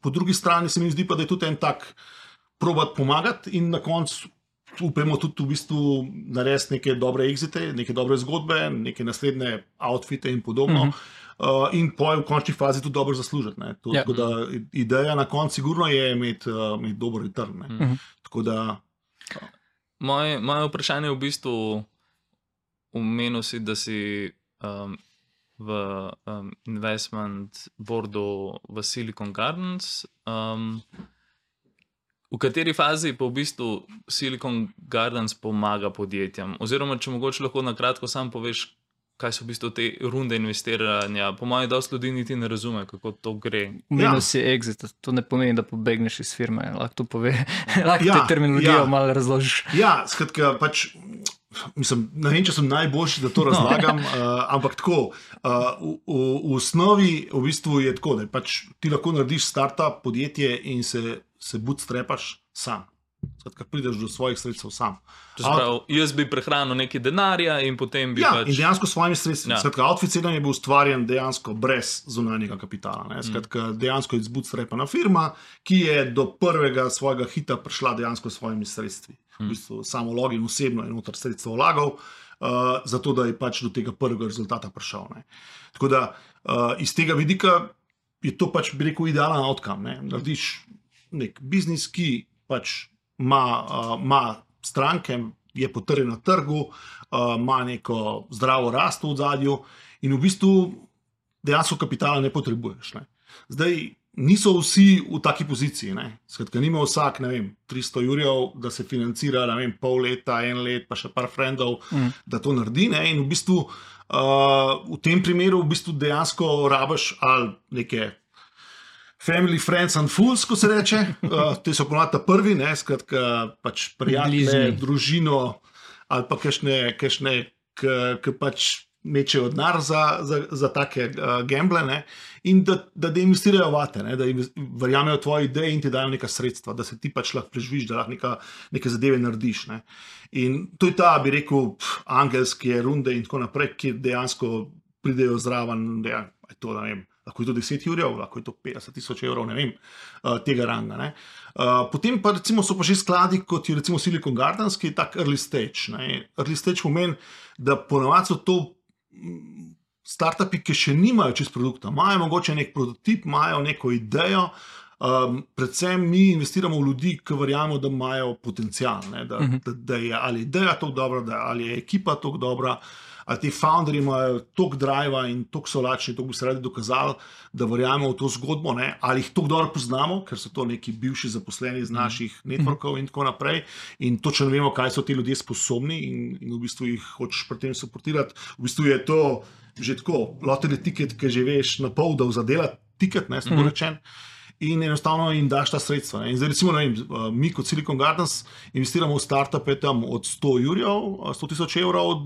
Po drugi strani se mi zdi pa, da je tudi en tak probat pomagati in na koncu upamo tudi v bistvu narediti neke dobre exite, neke dobre zgodbe, neke naslednje outfite in podobno. In v končni fazi tudi dobro zaslužiti. Tako da ideja na koncu sigurno je imeti dober return. Tako da... Moje vprašanje je v bistvu omenil si, da si v investment boardu v Silicon Gardens. V kateri fazi pa v bistvu Silicon Gardens pomaga podjetjem? Oziroma, če mogoče lahko na kratko sam poveš, kaj so v bistvu te runde investiranja. Po mojem, dosti ljudi niti ne razume, kako to gre. Minus je exit, to ne pomeni, da pobegneš iz firme. Lahko to pove, lahko te terminologijo malo razložiš. Ja, skratka, pač mislim, ne vem, če sem najboljši, da to razlagam, ampak tako, v osnovi v bistvu je tako, da pač ti lahko narediš startup podjetje in se bootstrapaš sam. Skratka, prideš do svojih sredstev sam. Jaz bi prehranil nekaj denarja in potem bi pač... Ja, in dejansko s svojimi sredstvi. Ja. Skratka, Outfit7 je bil ustvarjen dejansko brez zunanjega kapitala. Ne? Skratka, dejansko je bootstrapana firma, ki je do prvega svojega hita prišla dejansko s svojimi sredstvi. V bistvu samo login osebno je noter sredstvo vlagal, zato da je pač do tega prvega rezultata prišel. Ne? Tako da iz tega vidika je to pač, bi rekel, idealen outcome. Ne? Narediš nek biznis, ki pač ima stranke, je potrjen na trgu, ima neko zdravo rast v ozadju in v bistvu dejansko kapitala ne potrebuješ. Ne. Zdaj, niso vsi v taki poziciji. Ne. Skratka, nima vsak, ne vem, 300 jurjev, da se financira, ne vem, pol leta, en let, pa še par frendov, da to naredi. Ne. In v bistvu v tem primeru v bistvu dejansko rabiš ali neke family, friends and fools, ko se reče. Te so ponovadi prvi, ne, skratka, pač prijatelje, družino ali pa kakšne, ki pač mečejo denar za take gamble, ne, in da investirajo vate, ne, da verjamejo tvoje ideje in ti dajo neka sredstva, da se ti pač lahko preživiš, da lahko neke zadeve narediš. Ne. In to je ta, bi rekel, angelske runde in tako naprej, kjer dejansko pridejo zraven, da je to, ne vem, lahko je to 10 jurjev, lahko je to 50,000 evrov, ne vem, tega ranga. Ne. Potem pa recimo so pa že skladi, kot je recimo Silicon Gardens, ki je tak early stage. Ne. Early stage pomeni, da ponovadi so to startupi, ki še nimajo čist produkta, imajo mogoče nek prototip, imajo neko idejo, predvsem mi investiramo v ljudi, ki verjamemo, da imajo potencial, ne, da je ali ideja toliko dobra, ali je ekipa toliko dobra, ali ti founderji imajo toliko driva in toliko so lačni, toliko bi se radi dokazali, da verjamemo v to zgodbo, ne? Ali jih toliko dobro poznamo, ker so to neki bivši zaposleni iz naših networkov in tako naprej in točno vemo, kaj so ti ljudje sposobni in v bistvu jih hočeš pri tem suportirati. V bistvu je to že tako, lottery ticket, ki že veš na pol, da vzadela ticket, ne, smo rečen. in enostavno jim daš ta sredstva. Ne. In zdaj recimo, ne vem, mi kot Silicon Gardens investiramo v startupe tam od 100 000 evrov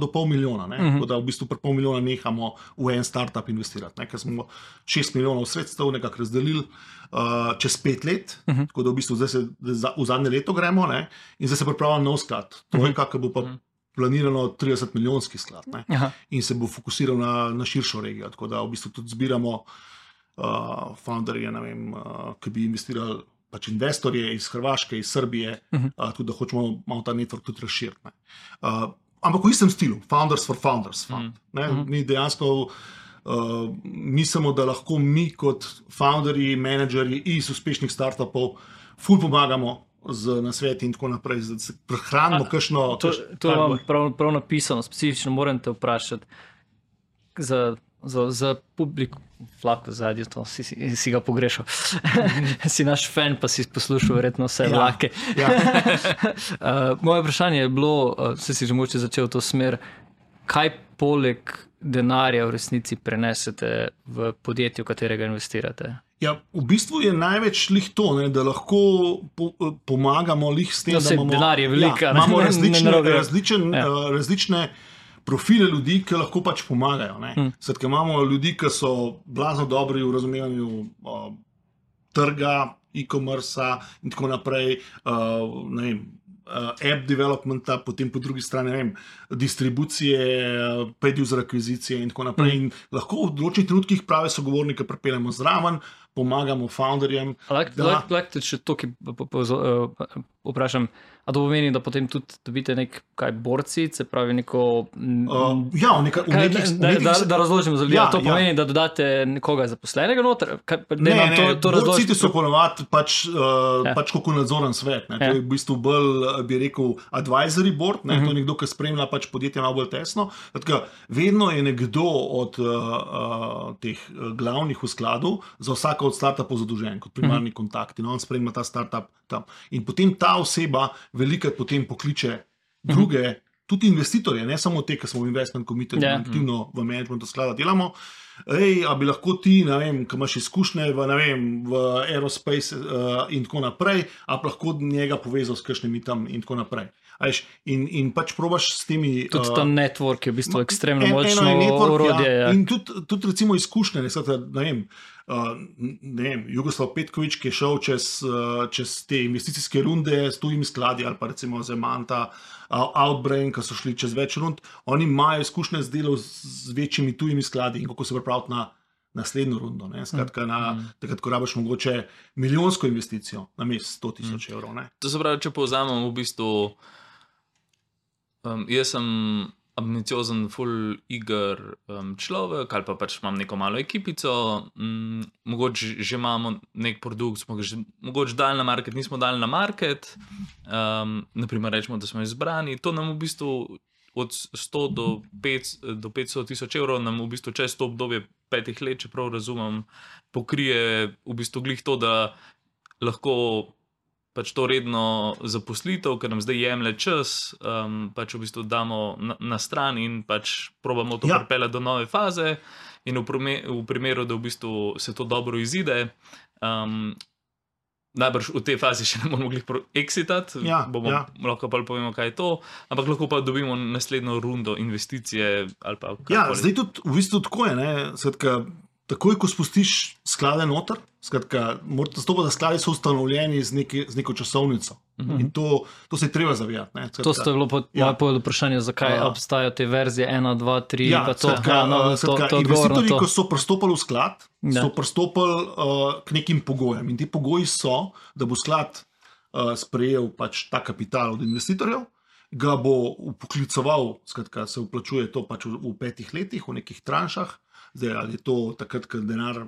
do pol milijona. Tako da v bistvu pri pol milijona nehamo v en startup investirati, ne, ker smo 6 milijonov sredstev nekako razdelili čez 5 let, tako da v bistvu zdaj v zadnje leto gremo, ne, in zdaj se pripravlja nov sklad, trojka, ki bo pa planirano 30 milijonski sklad, ne, in se bo fokusiral na širšo regijo, tako da v bistvu tudi zbiramo founderje, ne vem, ki bi investirali pač investorje iz Hrvaške, iz Srbije, tudi da hočemo malo ta network tudi razširiti. Ampak v istem stilu, Founders for Founders fund. Mi dejansko mislimo, da lahko mi kot founderji, menedžerji iz uspešnih startupov ful pomagamo z nasveti in tako naprej, da se prehranimo kakšno... To je vam prav napisano, specifično moram te vprašati za publiko, vlako zadnje, to si ga pogrešal. Si naš fan, pa si poslušal verjetno vse vlake. Moje vprašanje je bilo, se si že mogoče začel v to smer, kaj poleg denarja v resnici prenesete v podjetje, v katerega investirate? Ja, v bistvu je največ lih to, ne, da lahko pomagamo lih s tem, da imamo... Denar je velika. Imamo različne profile ljudi, ki lahko pač pomagajo. Skratka, imamo ljudi, ki so blazno dobri v razumevanju trga, e-commerce in tako naprej, ne vem, app developmenta, potem po drugi strani, ne vem, distribucije, paid user akvizicije in tako naprej. In lahko v določenih trenutkih prave sogovornike pripeljemo zraven, pomagamo founderjem. Lahko te še to, ki vprašam, a to pomeni, da potem tudi dobite kaj borci, se pravi neko... Da razložimo za ljudi, to pomeni, da dodate nekoga zaposlenega noter? Borci ti so ponovadi pač kako nadzoren svet. To je v bistvu bolj, bi rekel, advisory board, to je nekdo, ki spremlja pač podjetje malo bolj tesno. Vedno je nekdo od teh glavnih v skladu za vsako od startupov zadolžen, kot primarni kontakt, in on spremlja ta startup tam. In potem ta oseba velikrat potem pokliče druge, tudi investitorje, ne samo te, ki smo v investment committee, aktivno v managementu sklada delamo. A bi lahko ti, ne vem, ki imaš izkušnje v aerospace in tako naprej, a bi lahko njega povezal s kakšnimi tam in tako naprej. In pač probaš s temi... Tudi ta network je v bistvu ekstremno močno orodje. In tudi recimo izkušnje, ne vem, Jugoslav Petković, ki je šel čez te investicijske runde s tujimi skladi, ali pa recimo Zemanta, Outbrain, ki so šli čez več rund, oni imajo izkušnje z delom z večjimi tujimi skladi in kako se pripraviti na naslednjo rundo. Skratka, takrat, ko rabiš mogoče milijonsko investicijo na mest 100 000 evrov. To se pravi, če povzamem v bistvu, jaz sem ambiciozen, full eager človek, ali pa pač imam neko malo ekipico, mogoče že imamo nek produkt, smo ga že mogoče dali na market, nismo dali na market, naprimer rečemo, da smo izbrani, to nam v bistvu od 100 do 500 000 evrov nam v bistvu čez to obdobje 5 let, če prav razumem, pokrije v bistvu glih to, da lahko pač to redno zaposlitev, ker nam zdaj jemlje čas, pač v bistvu damo na stran in pač probamo to pripeljati do nove faze in v primeru, da v bistvu se to dobro izide, najbrž v tej fazi še ne bomo mogli exitati, lahko pa povemo, kaj je to, ampak lahko pa dobimo naslednjo rundo investicije ali pa karkoli. Zdaj tudi v bistvu tako je, skratka, takoj, ko spustiš sklade noter, skratka, morate stopiti, da skladi so ustanovljeni z neko časovnico. In to se je treba zavedati. To ste bilo moje vprašanje, zakaj obstajajo te verzije 1, 2, 3, pa to. Investitorji, ko so pristopali v sklad, so pristopali k nekim pogojem. In ti pogoji so, da bo sklad sprejel pač ta kapital od investitorjev, ga bo upoklicoval, skratka, se vplačuje to pač v 5 letih, v nekih tranšah. Zdaj, ali je to takrat, ko denar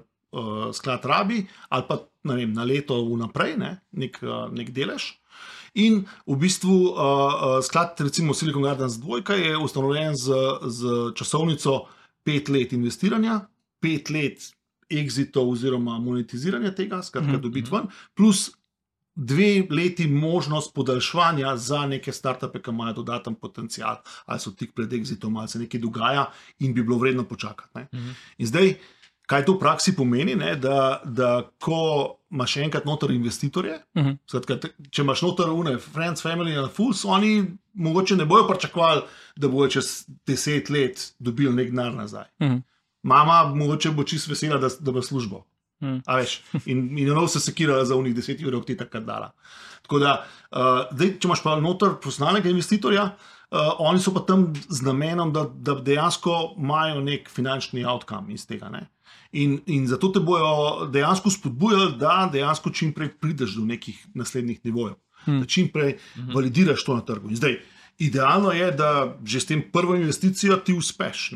sklad rabi, ali pa na leto vnaprej, nek delež. In v bistvu sklad, recimo Silicon Gardens 2, je ustanovljen z časovnico 5 let investiranja, 5 let exitov oziroma monetiziranja tega, skratka dobiti ven, plus 2 leti možnost podaljševanja za neke startupe, ki imajo dodaten potencial, ali so tik pred exitom, ali se nekaj dogaja in bi bilo vredno počakati. In zdaj, Kaj to v praksi pomeni, ne? Da ko imaš enkrat noter investitorje, skratka, če imaš noter une, friends, family and fools, oni mogoče ne bojo pričakovali, da bojo čez 10 let dobili nek denar nazaj. Mama mogoče bo čisto vesela, da bo službo. A veš, in ono se sekirala za unih 10 evrov, ti takrat dala. Tako da, zdaj, če imaš pa noter profesionalnega investitorja, oni so pa tam z namenom, da dejansko imajo nek finančni outcome iz tega. Ne? In zato te bojo dejansko spodbujali, da dejansko čim prej prideš do nekih naslednjih nivojev. Da čim prej validiraš to na trgu. In zdaj, idealno je, da že s tem prvo investicijo ti uspeš.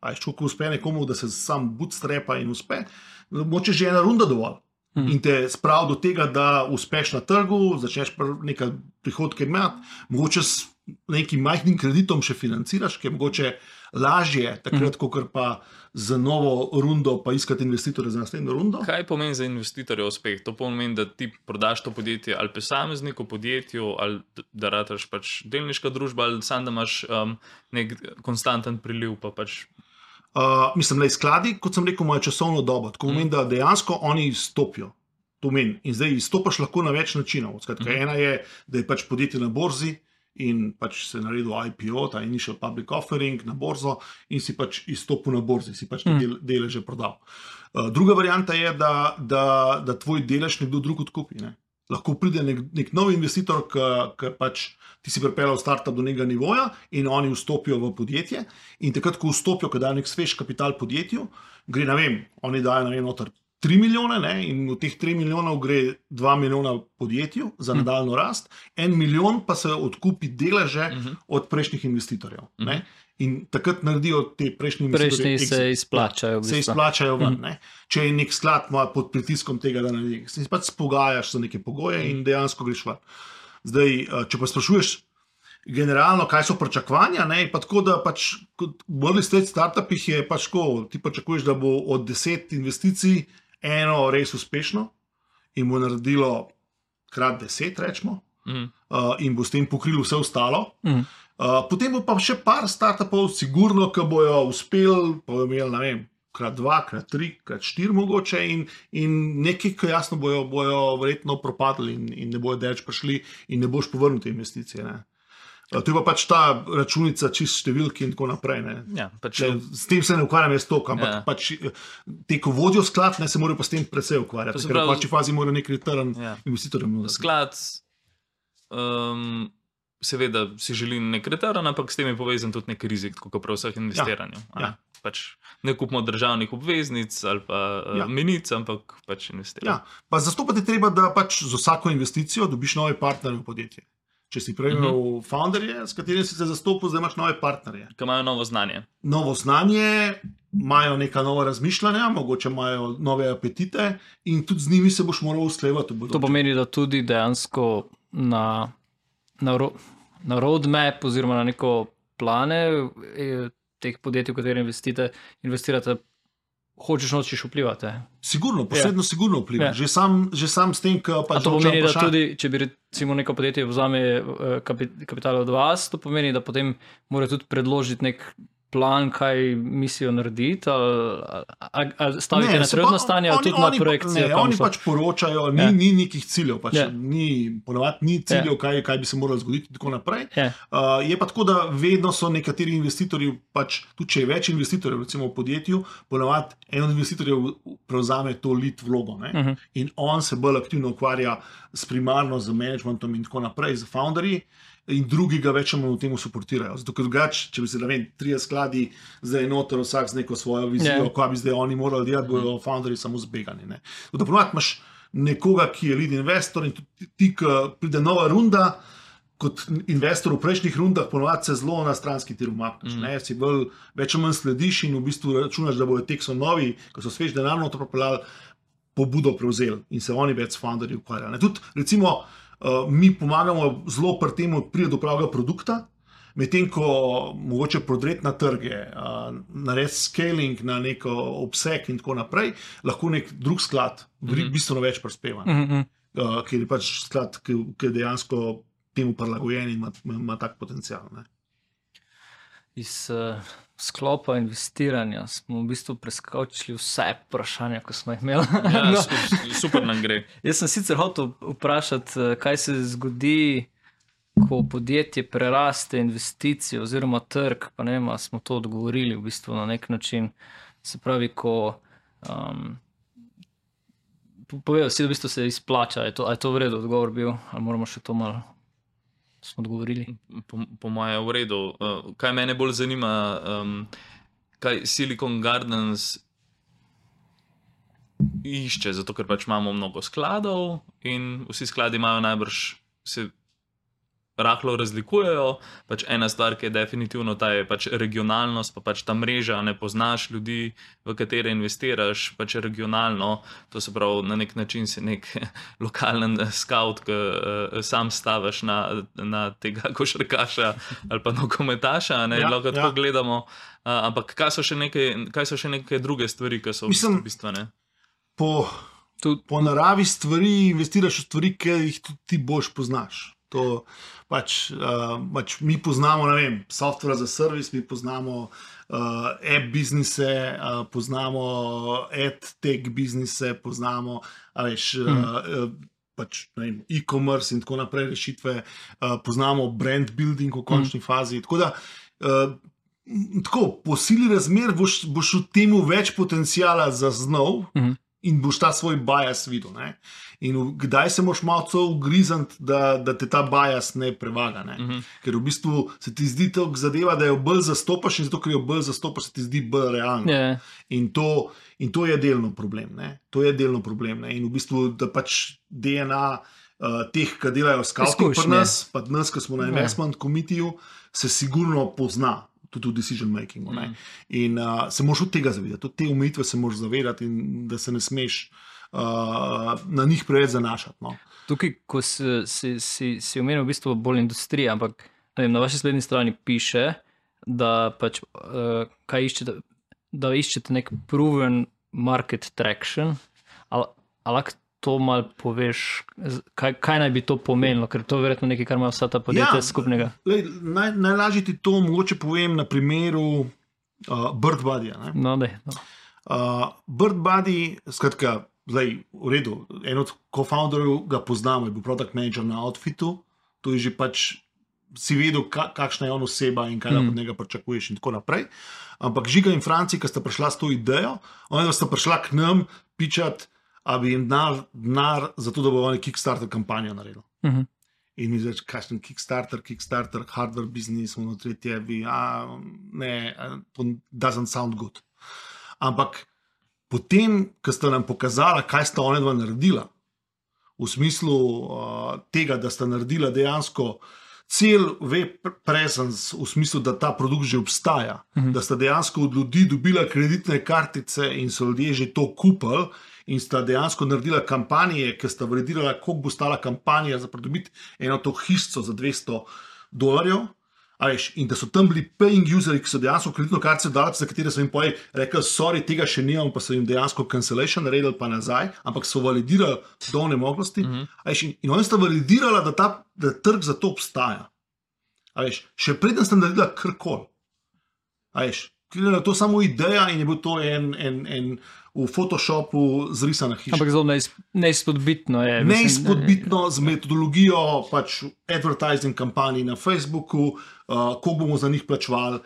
A je ko uspe nekomu, da se sam bootstrapa in uspe, moče že ena runda dovolj. In te spravi do tega, da uspeš na trgu, začneš nekaj prihodke imeti, mogoče s nekim majhnim kreditom še financiraš, ki je mogoče lažje takrat, kot pa za novo rundo pa iskati investitorje za naslednjo rundo. Kaj pomeni za investitorja uspeh? To pomeni, da ti prodaš to podjetje ali posamezniku, podjetju, ali da rataš pač delniška družba, ali sam da imaš nek konstanten priliv, pa pač... Mislim, da skladi, kot sem rekel, imajo časovno dobo. Tako pomeni, da dejansko oni izstopijo. To meni. In zdaj izstopaš lahko na več načinov. Skratka, ena je, da je pač podjetje na borzi in pač se naredil IPO, ta initial public offering na borzo in si pač izstopil na borzi, si pač deleže prodal. Druga varianta je, da tvoj delež nekdo drug odkupi. Ne? Lahko pride nek nov investitor, ki pač ti si pripeljal startup do nekega nivoja in oni vstopijo v podjetje in takrat, ko vstopijo, ko dajo nek svež kapital podjetju, gre, ne vem, oni dajo, ne vem, noter 3 milijone, ne, in v teh 3 milijonov gre 2 milijona podjetju za nadaljno rast, 1 milijon pa se odkupi deleže od prejšnjih investitorjev. Ne. In takrat naredijo te prejšnji investitorji. Prejšnji se izplačajo. Se izplačajo ven. Ne. Če je nek sklad pod pritiskom tega, da naredi, se pač spogajaš za neke pogoje in dejansko greš ven. Zdaj, če pa sprašuješ generalno, kaj so pričakovanja, ne, pa tako, da pač kot v early stage startupih je pač tako, ti pričakuješ, da bo od 10 investicij eno res uspešno in bo naredilo krat 10, rečemo, in bo s tem pokrilo vse ostalo. Potem bo pa še par startupov sigurno, ki bojo uspeli, pa bojo imeli, ne vem, krat 2, krat 3, krat 4 mogoče in nekaj, ki jasno bojo verjetno propadli in ne bojo deč prišli in ne boš povrnil te investicije. Ne. To je pa pač ta računica čist številki in tako naprej. Ne. Ja, pač... S tem se ne ukvarjam jaz toliko, ampak pač te, ko vodijo sklad, ne, se morajo pa s tem precej ukvarjati, ker v pači fazi morajo nek return investitorjem nuditi. Sklad, seveda si želi nek return, ampak s tem je povezan tudi nek rizik, tako kot pri vseh investiranju. Pač ne kupimo državnih obveznic ali pa menic, ampak pač investiramo. Pa zastopati treba, da pač z vsako investicijo dobiš nove partnerje v podjetje. Če si prej imel founderje, s katerim si se zastopil, zdaj imaš nove partnerje. Ki imajo novo znanje. Novo znanje, imajo neka nova razmišljanja, mogoče imajo nove apetite in tudi z njimi se boš moral usklajevati. To pomeni, da tudi dejansko na roadmap oziroma na neko plane teh podjetij, v katere investirate, hočeš nočeš vplivati. Sigurno, posebno sigurno vpliva. Že sam s tem, ki pač... A to pomeni, da tudi, če bi recimo neko podjetje vzame kapital od vas, to pomeni, da potem mora tudi predložiti nek plan, kaj mislijo narediti, ali stavite na trenutno stanje, ali tudi na projekcije? Ne, oni pač poročajo, ni nekih ciljev, pač ponovadi ni ciljev, kaj bi se moralo zgoditi in tako naprej. Je pa tako, da vedno so nekateri investitorji, pač tudi če je več investitorjev, recimo v podjetju, ponovadi en od investitorjev prevzame to lead vlogo, ne? In on se bolj aktivno ukvarja s primarno, z managementom in tako naprej, z founderji, in drugi ga več v temu suportirajo. Zato, ker drugače, če bi se, ne vem, 3 skladi zdaj noter vsak z neko svojo vizijo, kaj bi zdaj oni morali delati, bojo founderji samo zbegani. Ne. Da ponovadi imaš nekoga, ki je lead investor in tudi ti, ki pride nova runda, kot investor v prejšnjih rundah, ponovadi se zelo na stranski tir umakneš. Si več o manj slediš in v bistvu računaš, da bojo tek so novi, ko so svež denar noter propeljali, pobudo prevzeli in se oni več s founderji ukvarjali. Tudi, recimo, mi pomagamo zelo pri tem, pride do pravega produkta, medtem ko mogoče prodreti na trge, narediti scaling na nek obseg in tako naprej, lahko nek drug sklad bistveno več prispeva, ker je pač sklad, ki je dejansko temu prilagojen in ima tak potencial. Ne. iz sklopa investiranja smo v bistvu preskočili vse vprašanja, ko smo jih imeli. Ja, super nam gre. Jaz sem sicer hotel vprašati, kaj se zgodi, ko podjetje preraste investicijo oziroma trg, pa ne vem, a smo to odgovorili v bistvu na nek način. Se pravi, ko povedal si, da v bistvu se izplača, je to v redu odgovor bil, ali moramo še to malo smo odgovorili? Po moje v redu. Kaj mene bolj zanima, kaj Silicon Gardens išče, zato ker pač imamo mnogo skladov in vsi skladi imajo najbrž se rahlo razlikujejo. Pač ena stvar, ki je definitivno ta je pač regionalnost, pa pač ta mreža, ne poznaš ljudi, v katere investiraš, pač regionalno, to se pravi, na nek način si nek lokalen scout, ki sam staviš na tega košarkaša ali pa nogometaša, ne, lahko tako gledamo. Ampak kaj so še neke druge stvari, ki so bistvene? Po naravi stvari investiraš v stvari, ki jih tudi ti boš poznaš. To pač mi poznamo, ne vem, software za servis, mi poznamo app biznise, poznamo ad-tech biznise, poznamo pač, ne vem, e-commerce in tako naprej rešitve, poznamo brand building v končni fazi. Tako da, po sili razmer boš v temu več potencijala zaznal in boš ta svoj bias videl. Ne? In kdaj se moraš malo ugrizniti, da te ta bias ne prevaga. Ne? Ker v bistvu se ti zdi to zadeva, da jo bolj zastopaš in zato, ker jo bolj zastopaš, se ti zdi bolj realno. Yeah. In to je delno problem. Ne? To je delno problem. Ne? In v bistvu, da pač DNA teh, ki delajo scouting pri nas, pa nas, ki smo na investment committeeju, se sigurno pozna. Tudi v decision makingu. In se moraš od tega zavedati, od te omejitve se moraš zavedati in da se ne smeš na njih preveč zanašati. No. Tukaj, ko si omenil v bistvu bolj industrija, ampak vem, na vaši spletni strani piše, da pač kaj iščete, da iščete nek proven market traction, ali lahko to malo poveš, kaj naj bi to pomenilo, ker to je verjetno nekaj, kar ima vsa ta podjetja skupnega. Najlažje ti to mogoče povem na primeru BirdBuddyja. No. BirdBuddy, skratka, zdaj v redu, en od co-founderjev ga poznamo, je bil product manager na Outfitu, to je že pač si vedel, kakšna je on oseba in kaj od njega pričakuješ in tako naprej. Ampak Žiga in Franci, ki sta prišla s to idejo, oni sta prišla k nam pičati, a bi jim denar za to, da bo oni Kickstarter kampanjo naredil. In mi reči, kakšen Kickstarter, hardware business, tretje, ne, to doesn't sound good. Ampak potem, ko sta nam pokazala, kaj sta ona dva naredila, v smislu tega, da sta naredila dejansko cel web presence, v smislu, da ta produkt že obstaja, da sta dejansko od ljudi dobila kreditne kartice in so ljudje že to kupili, in sta dejansko naredila kampanje, ki sta validirala, koliko bo stala kampanja za pridobiti eno to hišico za $200. In da so tam bili paying useri, ki so dejansko kreditno kartico dali, za katere so jim rekli, sorry, tega še nimam, pa so jim dejansko cancellation naredili pa nazaj, ampak so validirali do onemoglosti. In oni sta validirala, da trg za to obstaja. Še preden sta naredila karkoli. Je to samo ideja in je bil to en v Photoshopu zrisana hiša. Ampak zelo neizpodbitno je. Neizpodbitno z metodologijo pač advertising kampanji na Facebooku, koliko bomo za njih plačevali,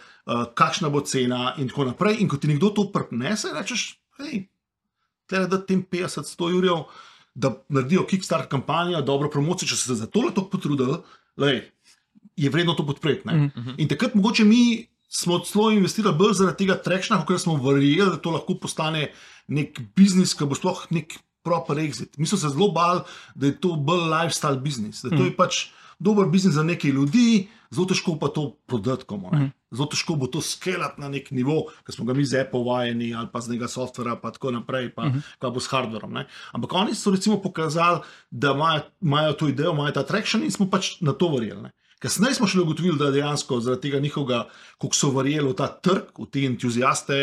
kakšna bo cena in tako naprej. In ko ti nekdo to prnese, rečeš, hej, tle da tem 50-100 jurjev, da naredijo Kickstarter kampanjo, dobro promocijo, če se za tole toliko potrudili, je vredno to podpreti. In takrat mogoče mi smo celo investirali bolj zaradi tega trekšna, ker smo verjeli, da to lahko postane nek biznis, ki bo sploh nek proper exit. Mi smo se zelo bali, da je to bolj lifestyle biznis, da to je pač dober biznis za nekaj ljudi, zelo težko pa to prodati komu. Zelo težko bo to skelati na nek nivo, ki smo ga mi z Apple vajeni ali pa z nekega softvera pa tako naprej, pa kaj bo s hardverom. Ampak oni so recimo pokazali, da imajo to idejo, imajo ta traction in smo pač na to verjeli. Kasneje smo šele ugotovili, da dejansko zaradi tega njihovega, koliko so verjeli v ta trg, v te entuziaste,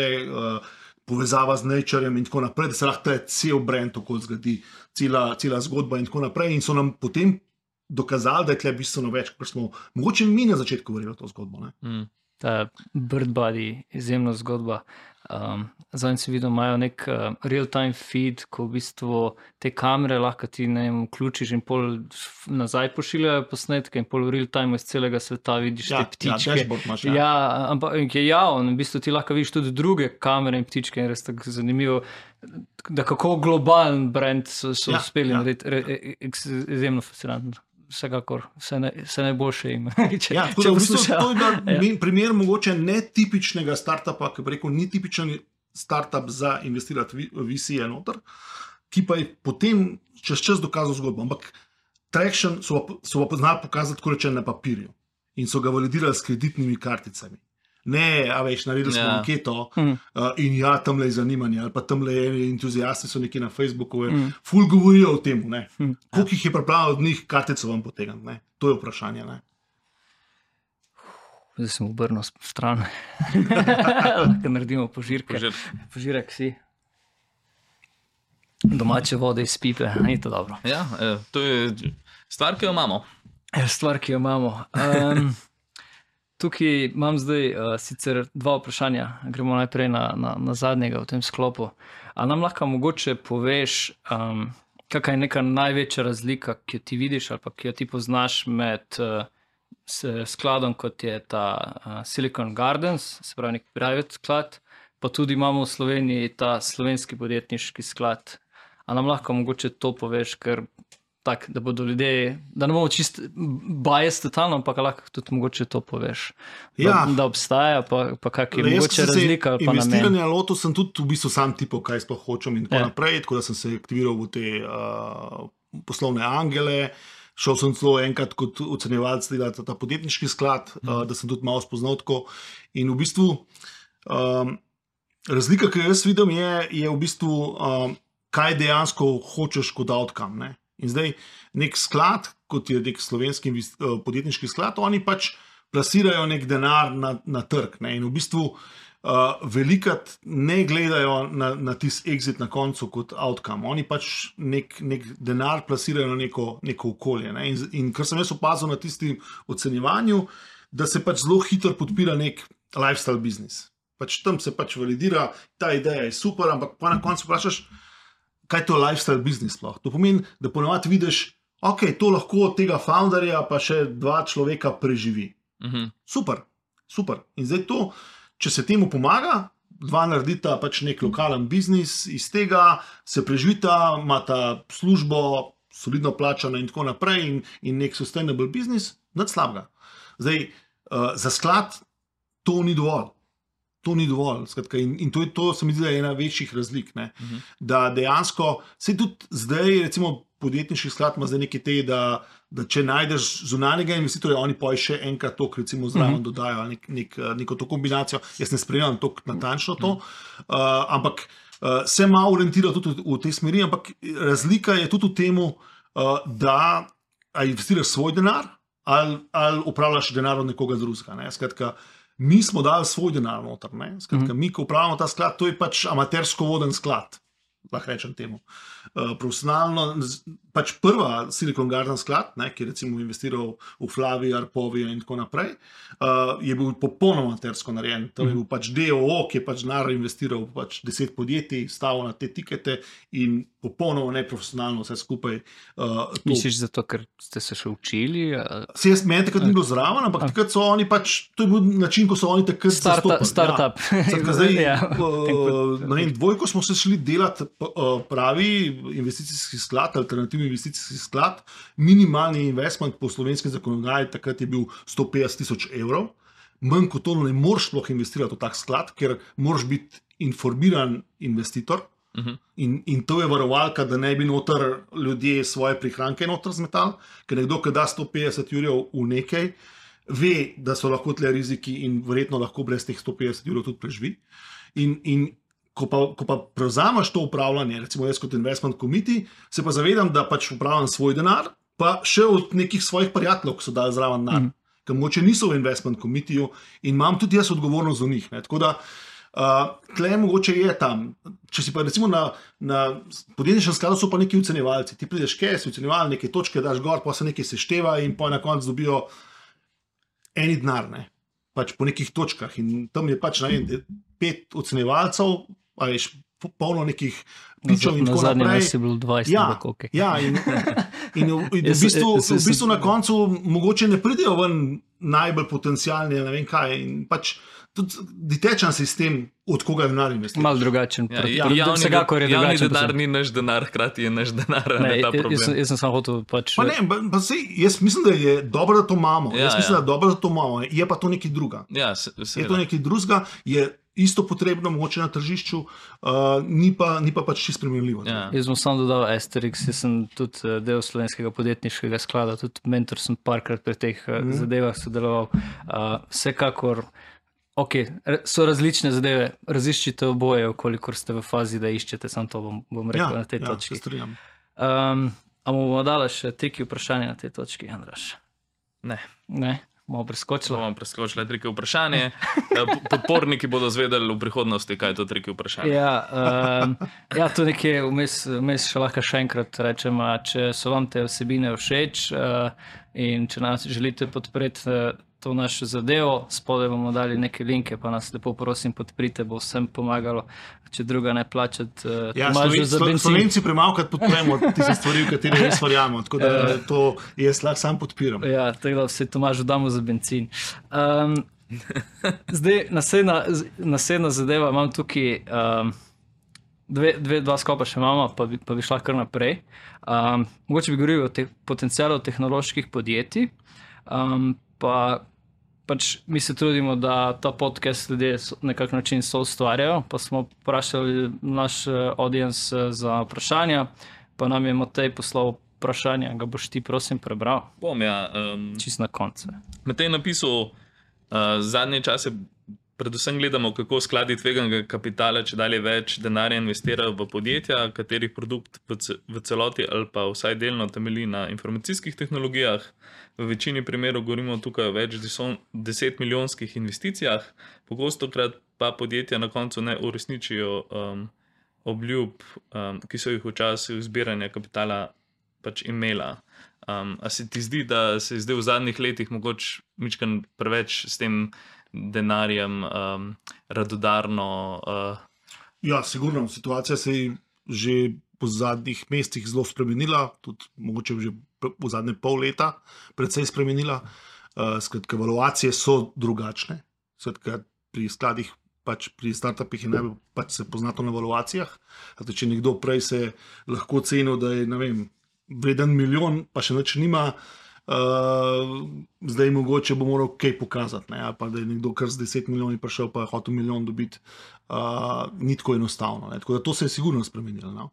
povezava z Naturem in tako naprej, da se lahko cel brand okoli zgodi, cela zgodba in tako naprej. In so nam potem dokazali, da je tle bistveno več, kot smo mogoče mi na začetku verjeli v to zgodbo. ta Bird Body, izjemna zgodba. Zadnji si videl, imajo nek real-time feed, ko v bistvu te kamere lahko ti vključiš in pol nazaj pošiljajo posnetke in pol v real-time iz celega sveta vidiš te ptičke. Dashboard imaš, Ampak je javno, v bistvu ti lahko vidiš tudi druge kamere in ptičke in res tako zanimivo, da kako globalen brand so uspeli narediti, izjemno fascinantno. Vsekakor, vse najboljše ima. Tako da v bistvu to je bil primer mogoče netipičnega startupa, ki bi rekel, ni tipičen startup za investirati VC-je noter, ki pa je potem čez čas dokazal zgodbo. Ampak traction so pa znali pokazati, tako reče, na papirju in so ga validirali s kreditnimi karticami. Ne, a veš, naredili smo anketo in tamle je zanimanje, ali pa tamle je entuzijasti so neki na Facebooku, ful govorijo o tem, koliko jih je pripravljeno od njih kartico vam potegniti, ne? To je vprašanje, ne? Zdaj sem obrnil stran, lahko naredimo požirke. Požirek si. Domače vode iz pipe, ni to dobro. Ja, to je stvar, ki jo imamo. Stvar, ki jo imamo. Tukaj imam zdaj sicer dva vprašanja, gremo najprej na zadnjega v tem sklopu. A nam lahko mogoče poveš, kakšna je neka največja razlika, ki jo ti vidiš ali pa ki jo ti poznaš med skladom, kot je ta Silicon Gardens, se pravi nek private sklad, pa tudi imamo v Sloveniji ta slovenski podjetniški sklad. A nam lahko mogoče to poveš, ker tak, da bodo ljudje, da ne bomo čist bias totalno, ampak lahko tudi mogoče to poveš. Da obstaja, pa kak je mogoče razlika ali pa namen. Investiranje loto sem tudi v bistvu sam tipal, kaj sploh hočem in tako naprej, tako da sem se aktiviral v te poslovne angele, šel sem celo enkrat kot ocenjevalec delati ta podjetniški sklad, da sem tudi malo spoznal tako in v bistvu razlika, ki jaz vidim, je v bistvu kaj dejansko hočeš kot outcome, ne? In zdaj nek sklad, kot je nek slovenski podjetniški sklad, oni pač plasirajo nek denar na trg, ne? In v bistvu velikrat ne gledajo na tisti exit na koncu kot outcome. Oni pač nek denar plasirajo na neko okolje, ne? In kar sem jaz opazil na tistim ocenjevanju, da se pač zelo hitro podpira nek lifestyle biznis. Pač tam se pač validira, ta ideja je super, ampak pa na koncu vprašaš, kaj to je lifestyle biznis sploh. To pomeni, da ponavadi vidiš, ok, to lahko od tega founderja pa še 2 človeka preživi. Super. In zdaj to, če se temu pomaga, 2 naredita pač nek lokalen biznis, iz tega se preživita, imata službo, solidno plačano in tako naprej in nek sustainable biznis, nič slabega. Zdaj, za sklad to ni dovolj. To ni dovolj. Skratka, in to se mi zdi, da je ena večjih razlik. Da dejansko, se tudi zdaj, recimo podjetniški sklad ima zdaj nekaj te, da če najdeš zunanjega investitorja, oni pa še enkrat to, recimo zraven dodajo neko to kombinacijo. Jaz ne spremljam to natančno to, ampak se malo orientira tudi v tej smeri, ampak razlika je tudi v temu, da investiraš svoj denar ali upravljaš denar od nekoga drugega. Skratka, mi smo dali svoj denar noter. Skratka, mi, ko upravljamo ta sklad, to je pač amatersko voden sklad, lahko rečem temu. Profesionalno, pač prva Silicon Garden sklad, ki je recimo investiral v Flavi, Arpovija in tako naprej, je bil popolnoma amatersko narejen. To je bil pač DOO, ki je pač denar investiral v pač 10 podjetij, stavil na te tikete in popolnoma neprofesionalno vse skupaj. Misliš zato, ker ste se še učili? Meni takrat ni bilo zraven, ampak takrat so oni pač, to je bil način, ko so oni takrat zastopali. Startup. Zdaj, dvojko smo se šli delati pravi investicijski sklad, alternativni investicijski sklad, minimalni investment po slovenskem zakonodaji takrat je bil 150 000 evrov. Manj kot to ne moreš sploh investirati v tak sklad, ker moraš biti informiran investitor. In to je varovalka, da ne bi noter ljudje svoje prihranke noter zmetali, ker nekdo, ki da 150 jurjev v nekaj, ve, da so lahko tle riziki in verjetno lahko brez teh 150 jurjev tudi preživi. In ko pa prevzameš to upravljanje, recimo jaz kot investment committee, se pa zavedam, da pač upravljam svoj denar, pa še od nekih svojih prijateljev, ki so dali zraven denar, ker mogoče niso v investment committeeju in imam tudi jaz odgovornost za njih. Tako da tle mogoče je tam. Če si pa recimo na podjetniškem skladu so pa neki ocenjevalci. Ti prideš si ocenjeval, neke točke daš gor, pa se nekaj sešteva in pa na koncu dobijo eni denar. pač po nekih točkah in tam je pač 5 ocenjevalcev, a veš, polno nekih pičov in tako naprej. Na zadnjem je bilo 20, Ja, okay. ja, in v bistvu na koncu mogoče ne pridejo ven najbolj potencialni, ne vem kaj, in pač tudi detečen sistem, od koga denar investiraš. Malo drugačen. Javni denar ni naš denar, hkrati je naš denar, ne ta problem. Jaz sem samo hotel pač... Pa ne, jaz mislim, da je dobro, da to imamo. Jaz mislim, da je dobro, da to imamo. Je pa to nekaj druga. Ja, je to nekaj drugega, je isto potrebno, mogoče na tržišču, ni pa pač čisto primerljivo. Ja. Jaz bom samo dodal Asterix, jaz sem tudi del Slovenskega podjetniškega sklada, tudi mentor sem parkrat pri teh zadevah sodeloval. Vsekakor, so različne zadeve, raziščite oboje, kolikor ste v fazi, da iščete, samo to bom rekel na tej točki. Ja, se strinjam. A bomo dali še triki vprašanje na tej točki, Andraž? Ne? Bomo preskočili triki vprašanje. Podporniki bodo zvedeli v prihodnosti, kaj je to triki vprašanje. Ja, to nekje vmes še lahko še enkrat rečem, če so vam te vsebine všeč in če nas želite podpreti to našo zadevo, spodaj bomo dali neke linke, pa nas lepo prosim podprite, bo vsem pomagalo, če druga ne plačati. Slovenci premalkrat podpremo tiste stvari, v katere res verjamemo, tako da to jaz lahko sam podpiram. Ja, tako da vse Tomažu damo za bencin. Zdaj, naslednja zadeva, imam tukaj dva skopa še imamo, pa bi šla kar naprej. Mogoče bi govorili o potencialu tehnoloških podjetij, pa pač mi se trudimo, da ta podcast ljudje na kak način so ustvarjajo, pa smo vprašali naš audience za vprašanja, pa nam je Matej poslal vprašanja, ga boš ti prosim prebral? Bom, ja. Čist na koncu. Matej je napisal, zadnje čase predvsem gledamo, kako skladi tveganega kapitala če dalje več denarja investirajo v podjetja, katerih produkt v celoti ali pa vsaj delno temelji na informacijskih tehnologijah. V večini primerov govorimo tukaj o več 10 milijonskih investicijah, pogostokrat pa podjetja na koncu ne uresničijo obljub, ki so jih v času zbiranja kapitala pač imela. A se ti zdi, da se je zdaj v zadnjih letih mogoče mičkan preveč s tem denarjem radodarno? Ja, sigurno. Situacija se je že po zadnjih mesecih zelo spremenila, tudi mogoče že v zadnje pol leta precej spremenila. Skratka, evaluacije so drugačne. Skratka, pri skladih, pač pri startupih je najbolj pač se poznato na evaluacijah. Če nekdo prej se lahko cenil, da je, ne vem, vreden milijon, pa še nič nima, zdaj mogoče bo moral kaj pokazati, ne? Pa da je nekdo kar z 10 milijoni prišel, pa je hotel milijon dobiti, ni tako enostavno. Ne? Tako da to se je sigurno spremenilo. No?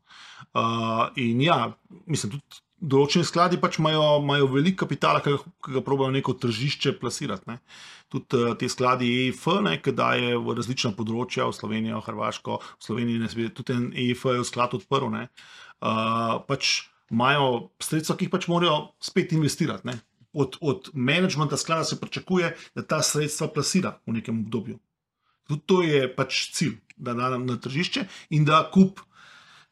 In ja, mislim, tudi določeni skladi pač imajo veliko kapitala, ki ga probajo neko tržišče plasirati. Ne? Tudi te skladi EIF, ki daje v različna področja, v Slovenijo, Hrvaško, v Sloveniji, tudi en EIF je v sklad odprl, ne? Pač imajo sredstva, ki jih pač morajo spet investirati. Ne? Od menedžmenta sklada se pričakuje, da ta sredstva plasira v nekem obdobju. Tudi to je pač cilj, da da na tržišče in da kup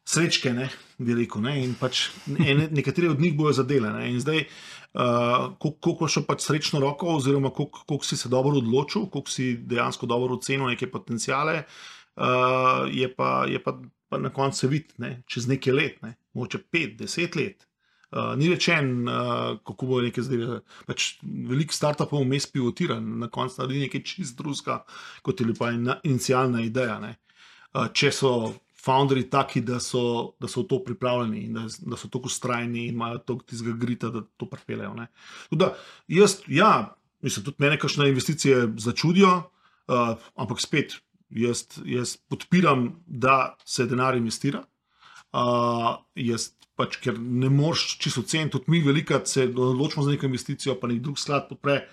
srečke, ne, bi rekel, ne, in pač nekateri od njih bojo zadele. Ne, in zdaj, koliko še pač srečno roko, oziroma koliko si se dobro odločil, koliko si dejansko dobro ocenil neke potencijale, je pa na koncu se vidi, ne, čez nekaj let, ne, mogoče 5-10 let. Ni rečen, kako bo nekaj zdaj, pač veliko startupov vmes pivotira, na koncu naredi nekaj čist drugega, kot je pa inicialna ideja. Ne. Če so founderji taki, da so v to pripravljeni in da so tako vztrajni in imajo toliko tistega grita, da to pripeljejo. Tudi mislim, tudi mene kakšne investicije začudijo, ampak spet, jaz podpiram, da se denar investira. Jaz pač, ker ne moreš čisto oceniti, tudi mi velikrat se odločimo za neko investicijo, pa nek drug sklad podpre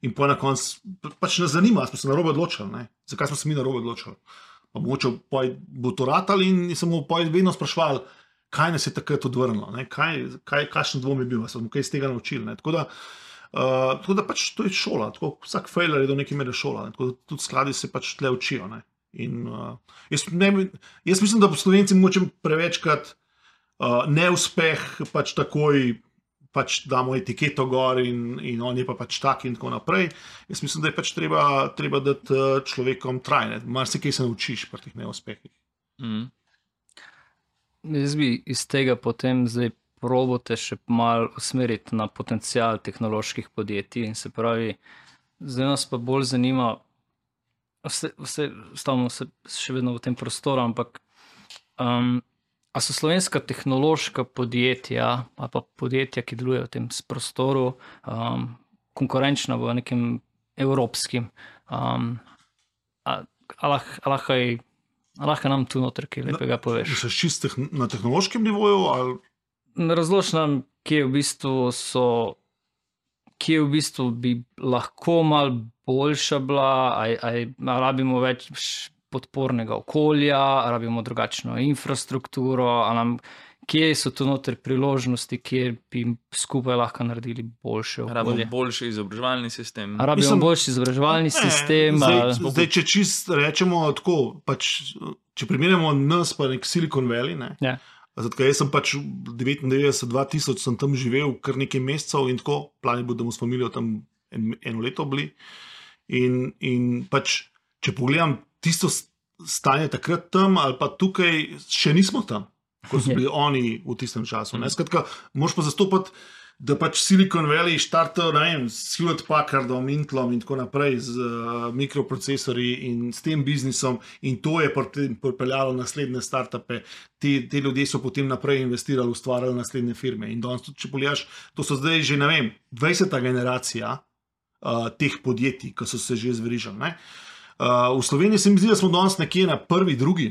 in pa na koncu pač nas zanima, smo se narobe odločili, ne? Zakaj smo se mi narobe odločili. Pa mogoče bo to ratali in se bomo vedno sprašvali, kaj nas je takrat odvrnilo, kakšen dvom je bil, smo kaj iz tega naučili. Ne? Tako da pač to je šola, tako vsak failer je do neke mere šola, ne? Tako da tudi skladi se pač tle učijo. Ne? In jaz mislim, da Slovenci mogoče prevečkrat neuspeh pač takoj pač damo etiketo gor in on je pa pač tak in tako naprej. Jaz mislim, da je pač treba dati človekom trajne. Marsikaj se naučiš pri teh neuspehih. Jaz bi iz tega potem zdaj probote še malo usmeriti na potencial tehnoloških podjetij in se pravi, zdaj nas pa bolj zanima, stavimo se še vedno v tem prostoru, ampak a so slovenska tehnološka podjetja ali pa podjetja, ki delujejo v tem prostoru, konkurenčna v nekem evropskim, lahko nam tu noter kaj lepega poveš. Misliš čisto na tehnološkem nivoju? Ali? Razloži nam, kje v bistvu bi lahko malo boljša bila, ali rabimo več podpornega okolja, ali rabimo drugačno infrastrukturo, kje so tu noter priložnosti, kjer bi skupaj lahko naredili boljše okolje. Rabimo boljši izobraževalni sistem. Rabimo boljši izobraževalni sistem. Zdaj, če čist rečemo tako, pač, če primerjamo nas pa nek Silicon Valley, ne? Ja. Zato, jaz sem pač 99-2000 sem tam živel kar nekaj mesecev in tako, plan je bil, da bomo s familijo tam eno leto bili. In pač, če pogledam tisto stanje takrat tam ali pa tukaj, še nismo tam, ko so bili oni v tistem času. Skratka, moraš pa zastopati, da pač Silicon Valley štarta, ne vem, s Hewlett Packardom, Intelom in tako naprej, z mikroprocesorji in s tem biznisom, in to je pripeljalo naslednje startupe. Te ljudje so potem naprej investirali, ustvarjali naslednje firme. In danes tudi, če pogledaš, to so zdaj že, ne vem, 20. generacija teh podjetij, ki so se že zverižali. V Sloveniji se mi zdi, da smo danes nekje na prvi, drugi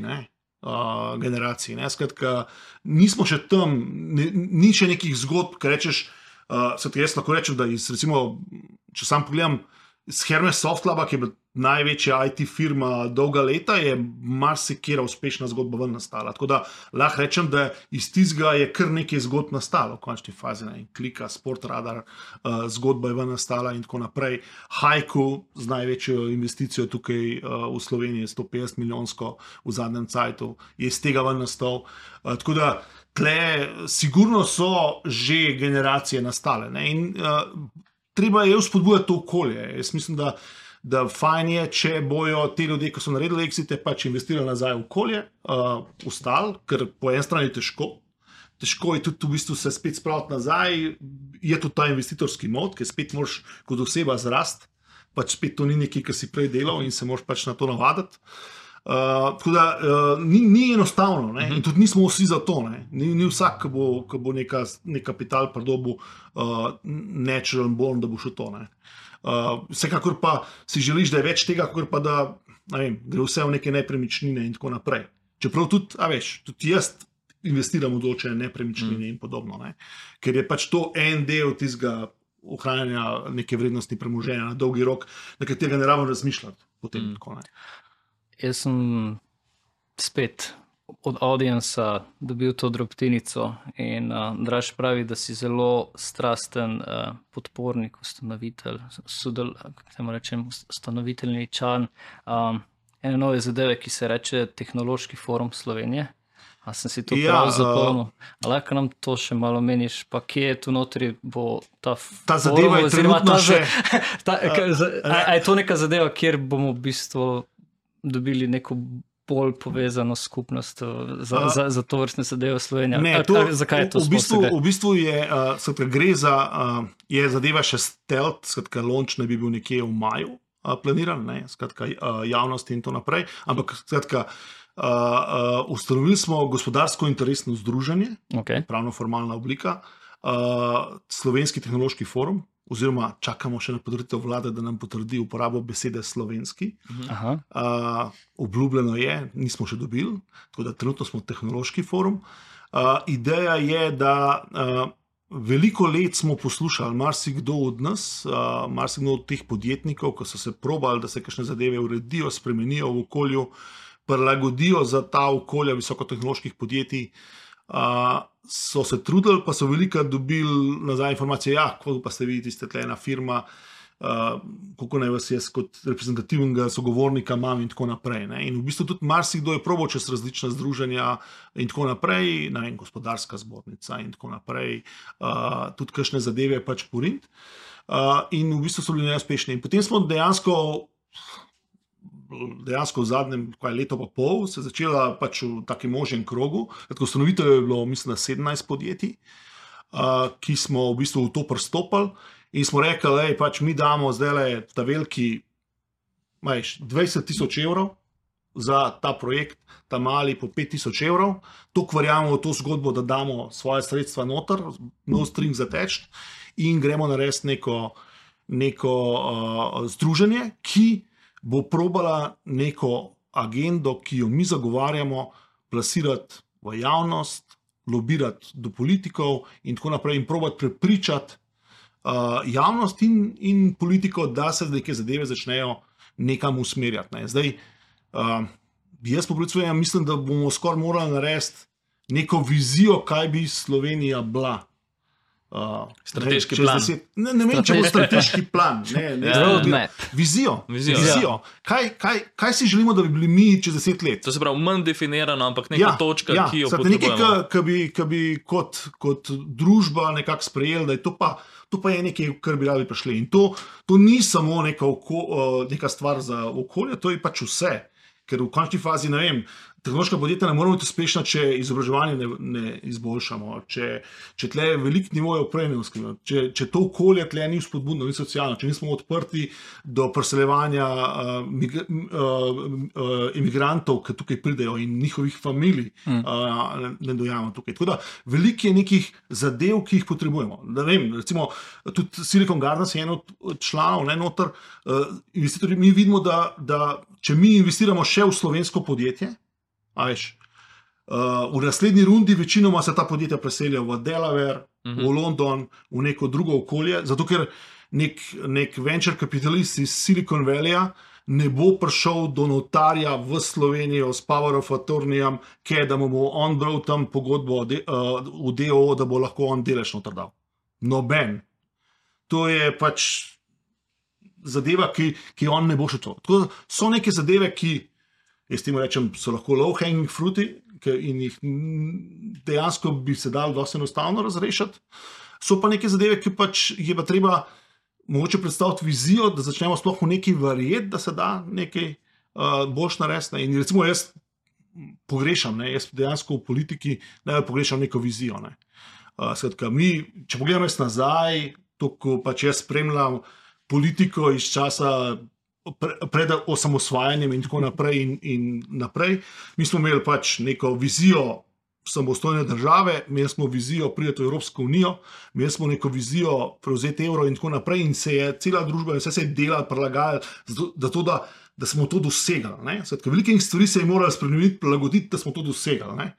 generaciji. Skratka, nismo še tam, ni še nekih zgodb, ki rečeš, jaz lahko rečem, da recimo, če sam pogledam z Hermes Softlaba, ki je bila največja IT firma dolga leta, je marsikera uspešna zgodba ven nastala. Tako da lahko rečem, da iz tistega je kar nekaj zgodb nastalo v končni fazi. Klika, Sportradar, zgodba je ven nastala in tako naprej. Haiku z največjo investicijo tukaj v Sloveniji, 150 milijonsko v zadnjem cajtu, je iz tega ven nastal. Tako da tle sigurno so že generacije nastale. In treba je vzpodbujati to okolje. Jaz mislim, da fajn je, če bojo te ljudje, ki so naredili exite, pač investirali nazaj v okolje, ustali, ker po eni strani težko je tudi v bistvu se spet spraviti nazaj, je tudi ta investitorski mod, ker spet moraš kot oseba zrast, pač spet to ni nekaj, kar si prej delal in se moraš pač na to navaditi. Tako da ni enostavno, in tudi nismo vsi za to. Ni vsak, ki bo nek kapital pridobil natural born, da bo šel to. Vsekakor pa si želiš, da je več tega, kot pa da gre vse v neke nepremičnine in tako naprej. Čeprav tudi jaz investiram v določene nepremičnine in podobno, ker je pač to en del tistega ohranjanja neke vrednosti premoženja na dolgi rok, na katerega ne rabimo razmišljati potem tako. Jaz sem spet od audienca dobil to drobtinico in Draž pravi, da si zelo strasten podpornik, ustanovitelj, ustanoviteljničan ene nove zadeve, ki se reče Tehnološki forum Slovenije. A sem si to prav zapomnil? Lahko nam to še malo meniš, pa kje je tu notri bo ta zadeva je trenutno še... A je to neka zadeva, kjer bomo v bistvu dobili neko bolj povezano skupnost za to vrstne zadeve v Sloveniji? Zakaj je to sploh? V bistvu gre za, je zadeva še stealth, launch ne bi bil nekje v maju planiran, javnosti in to naprej, ampak ustanovili smo gospodarsko interesno združenje, pravno formalna oblika, Slovenski tehnološki forum, oziroma čakamo še na potrditev vlade, da nam potrdi uporabo besede slovenski. Obljubljeno je, nismo še dobili, tako da trenutno smo tehnološki forum. Ideja je, da veliko let smo poslušali marsikdo od nas, marsikdo od teh podjetnikov, ko so se probali, da se kakšne zadeve uredijo, spremenijo v okolju, prilagodijo za ta okolja visokotehnoloških podjetij, so se trudili, pa so veliko dobili nazaj informacije, kako pa ste vi, tiste tle ena firma, kako naj vas jaz kot reprezentativnega sogovornika imam in tako naprej. Ne. In v bistvu tudi marsikdo je probal čez različna združenja in tako naprej, ne vem, gospodarska zbornica in tako naprej, tudi kakšne zadeve pač porint. In v bistvu so bili neuspešni. In potem smo dejansko v zadnjem letu pa pol se začela pač v takem možnem krogu. Ustanoviteljev je bilo, mislim, 17 podjetij, ki smo v bistvu v to pristopili in smo rekli, da pač mi damo zdaj ta veliki 20,000 evrov za ta projekt, ta mali po 5,000 evrov. Toliko verjamemo v to zgodbo, da damo svoje sredstva noter, no string zateč in gremo narediti neko združenje, ki bo probala neko agendo, ki jo mi zagovarjamo, plasirati v javnost, lobirati do politikov in tako naprej in probati prepričati javnost in politiko, da se neke zadeve začnejo nekam usmerjati. Ne. Zdaj, jaz po predvsem mislim, da bomo skoraj morali narediti neko vizijo, kaj bi Slovenija bila. Strateški plan. Ne vem, če bo strateški plan. Roadmap. Vizijo. Kaj si želimo, da bi bili mi čez 10 let? To se pravi, manj definirano, ampak neka točka, ki jo potrebujemo. Nekaj, ki bi kot družba nekako sprejeli, da je to pa je nekaj, kar bi radi prišli. In to ni samo neka stvar za okolje, to je pač vse. Ker v končni fazi, ne vem, tehnološka podjetja ne moramo biti uspešna, če izobraževanje ne izboljšamo, če tle je velik nivo opremljenosti, če to okolje tle ni spodbudno, ni socialno, če nismo odprti do preseljevanja imigrantov, ki tukaj pridejo in njihovih familij ne dojamemo tukaj. Tako da veliko je nekih zadev, ki jih potrebujemo. Da vem, recimo, tudi Silicon Gardens je en od članov, ne noter, investitorji, mi vidimo, da če mi investiramo še v slovensko podjetje, v naslednji rundi večinoma se ta podjetja preselijo v Delaware, v London, v neko drugo okolje, zato ker nek venture kapitalist iz Silicon Valleyja ne bo prišel do notarja v Slovenijo s power of attorneyjem, da mu bo on bral tam pogodbo v DOO, da bo lahko on delež noter dal. Noben. To je pač zadeva, ki on ne bo šel to. Tako so neke zadeve, ki, jaz temu rečem, so lahko low hanging fruity in jih dejansko bi se dalo dosti enostavno razrešiti. So pa neke zadeve, ki pač je pa treba mogoče predstaviti vizijo, da začnemo sploh v neki verjeti, da se da nekaj boljš narediti. In recimo jaz pogrešam, jaz dejansko v politiki pogrešam neko vizijo. Skratka, mi, če pogledamo jaz nazaj, to, ko pač jaz spremljam politiko iz časa pred osamosvajanjem in tako naprej in naprej. Mi smo imeli pač neko vizijo samostojne države, imeli smo vizijo priti v Evropsko unijo, imeli smo neko vizijo prevzeti evro in tako naprej in se je cela družba, vse se je delalo, prilagajalo, da smo to dosegali. Velikih stvari se je moralo spremeniti, prilagoditi, da smo to dosegali.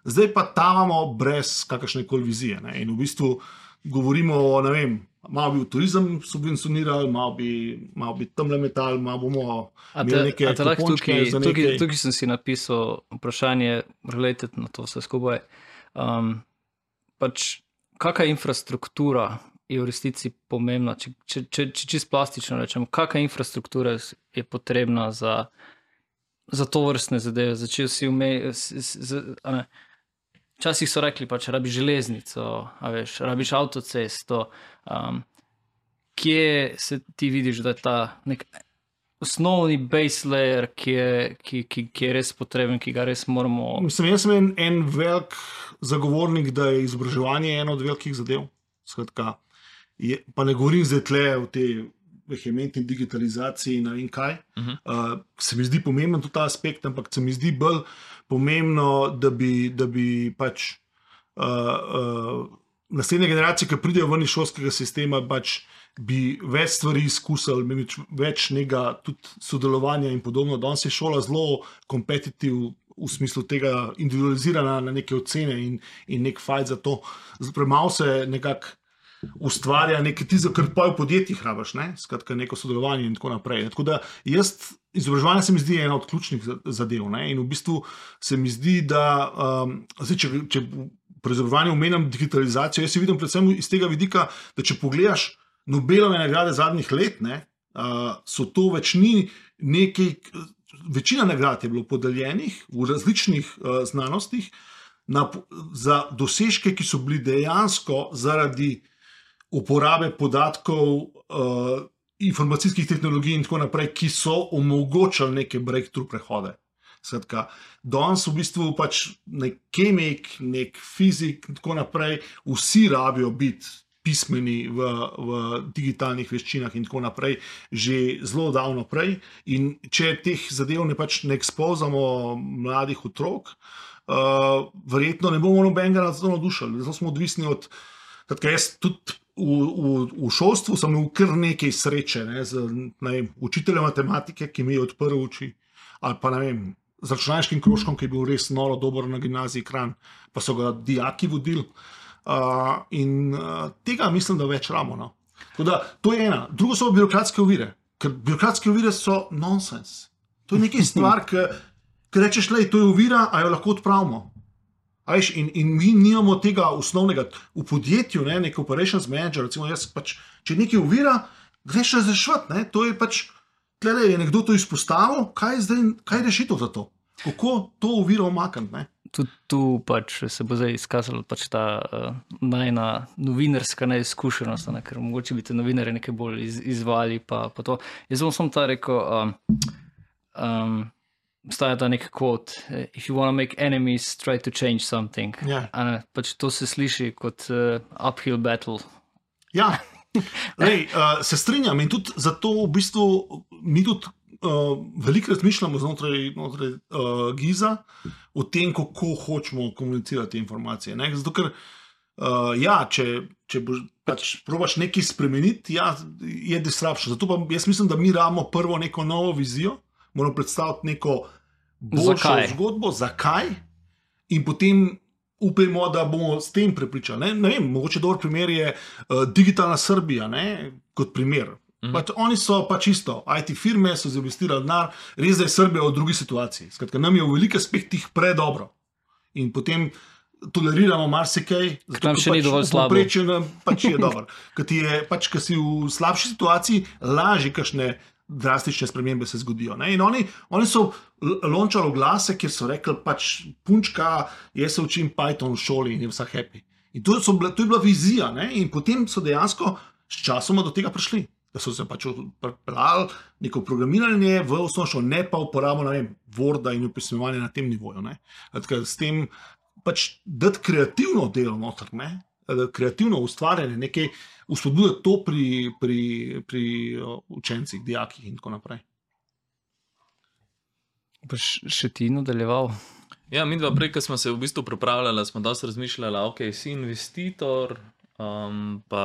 Zdaj pa tavamo brez kakršnekoli vizije. In v bistvu govorimo o, ne vem, malo bi v turizem subvencionirali, malo bi tamle metali, malo bomo imeli neke kupončke za nekaj. Tukaj sem si napisal vprašanje related na to vse skupaj. Pač, kakšna infrastruktura je v resnici pomembna, če čisto plastično rečem, kakšna infrastruktura je potrebna za to vrstne zadeve, začel si včasih so rekli, pač rabiš železnico, rabiš avtocesto. Kje se ti vidiš, da je ta nek osnovni base layer, ki je res potreben, ki ga res moramo... Mislim, jaz sem en velik zagovornik, da je izobraževanje eno od velikih zadev. Skratka, pa ne govorim zdaj tle v tej vehementni digitalizaciji in ne vem kaj. Se mi zdi pomemben tudi ta aspekt, ampak se mi zdi bolj pomembno, da bi pač naslednje generacije, ki pridejo ven iz šolskega sistema, pač bi več stvari izkusili, več nekega tudi sodelovanja in podobno. Danes je šola zelo kompetitiv v smislu tega individualizirana na neke ocene in nek fajt za to. Premalo se nekako ustvarja nekaj tisto, kar pa v podjetjih rabiš, skratka neko sodelovanje in tako naprej. Tako da izobraževanje se mi zdi ena od ključnih zadev in v bistvu se mi zdi, da če pri izobraževanju omenjam digitalizacijo, jaz si vidim predvsem iz tega vidika, da če pogledaš Nobelove nagrade zadnjih let, ne, so to več ni nekaj, večina nagrad je bilo podeljenih v različnih znanostih za dosežke, ki so bili dejansko zaradi uporabe podatkov, informacijskih tehnologij in tako naprej, ki so omogočali neke breakthrough prehode. Skratka, danes v bistvu pač nek kemik, nek fizik in tako naprej, vsi rabijo biti pismeni v digitalnih veščinah in tako naprej, že zelo davno prej. In če teh zadev ne ekspozamo mladih otrok, verjetno ne bomo nobenega za to navdušili. Zato smo odvisni od, jaz tudi v šolstvu sem imel kar nekaj sreče, ne, z učiteljem matematike, ki mi je odprl oči, ali pa ne vem, z računalniškim krožkom, ki je bil res noro dober na gimnaziji Kranj, pa so ga dijaki vodili. Tega mislim, da več rabimo. No. Tako da, to je ena. Drugo so birokratske ovire, ker birokratske ovire so nonsens. To je nekaj stvar, ki rečeš, lej, to je ovira, a jo lahko odpravimo. In mi nimamo tega osnovnega v podjetju, ne, nek operations manager, recimo jaz pač, če nekaj ovira, greš razrešiti, ne, to je pač, tlele je nekdo to izpostavil, kaj je rešitev za to? Kako to oviro omakniti, ne? Tudi tu pač se bo zdaj izkazalo pač ta najna novinarska neizkušenost, ne, ker mogoče bi te novinarje nekaj bolj izvali pa to. Jaz bom samo ta rekel, obstaja ta nek quote, if you want to make enemies, try to change something. Yeah. Pač to se sliši kot uphill battle. Ja, lej, se strinjam in tudi zato v bistvu mi tudi veliko razmišljamo znotraj Giza o tem, kako hočemo komunicirati te informacije. Ne? Zato, ker če boš pač probaš nekaj spremeniti, je disruption. Zato pa jaz mislim, da mi rabimo prvo neko novo vizijo, moramo predstaviti neko boljšo zgodbo, zakaj, in potem upajmo, da bomo s tem prepričali. Ne vem, mogoče dober primer je Digitalna Srbija, ne, kot primer. Pač oni so pač isto, IT firme so investirali denar, res da je Srbija v drugi situaciji. Skratka, nam je v velikih aspektih predobro. In potem toleriramo marsikaj, zato nam še ni dovolj slabo. Povprečje pač je dobro. Ker si v slabši situaciji, lažje kakšne drastične spremembe se zgodijo. Ne? In oni so lončali glase, kjer so rekli, pač punčka, jaz se učim Python v šoli in je vsa happy. In to je bila vizija, ne? In potem so dejansko s časoma do tega prišli. Da so se pač pripeljali neko programiranje v osnovno šolo, ne pa uporabo, ne vem, Worda in opisovanja na tem nivoju. Ne? S tem pač dati kreativno delo noter, ne? Kreativno ustvarjanje, nekaj vzpodbuditi to pri učencih, dijakih in tako naprej. Boš še ti nadaljeval? Ja, mi dva prej, ko smo se v bistvu pripravljali, smo dosti razmišljali, ok, si investitor, pa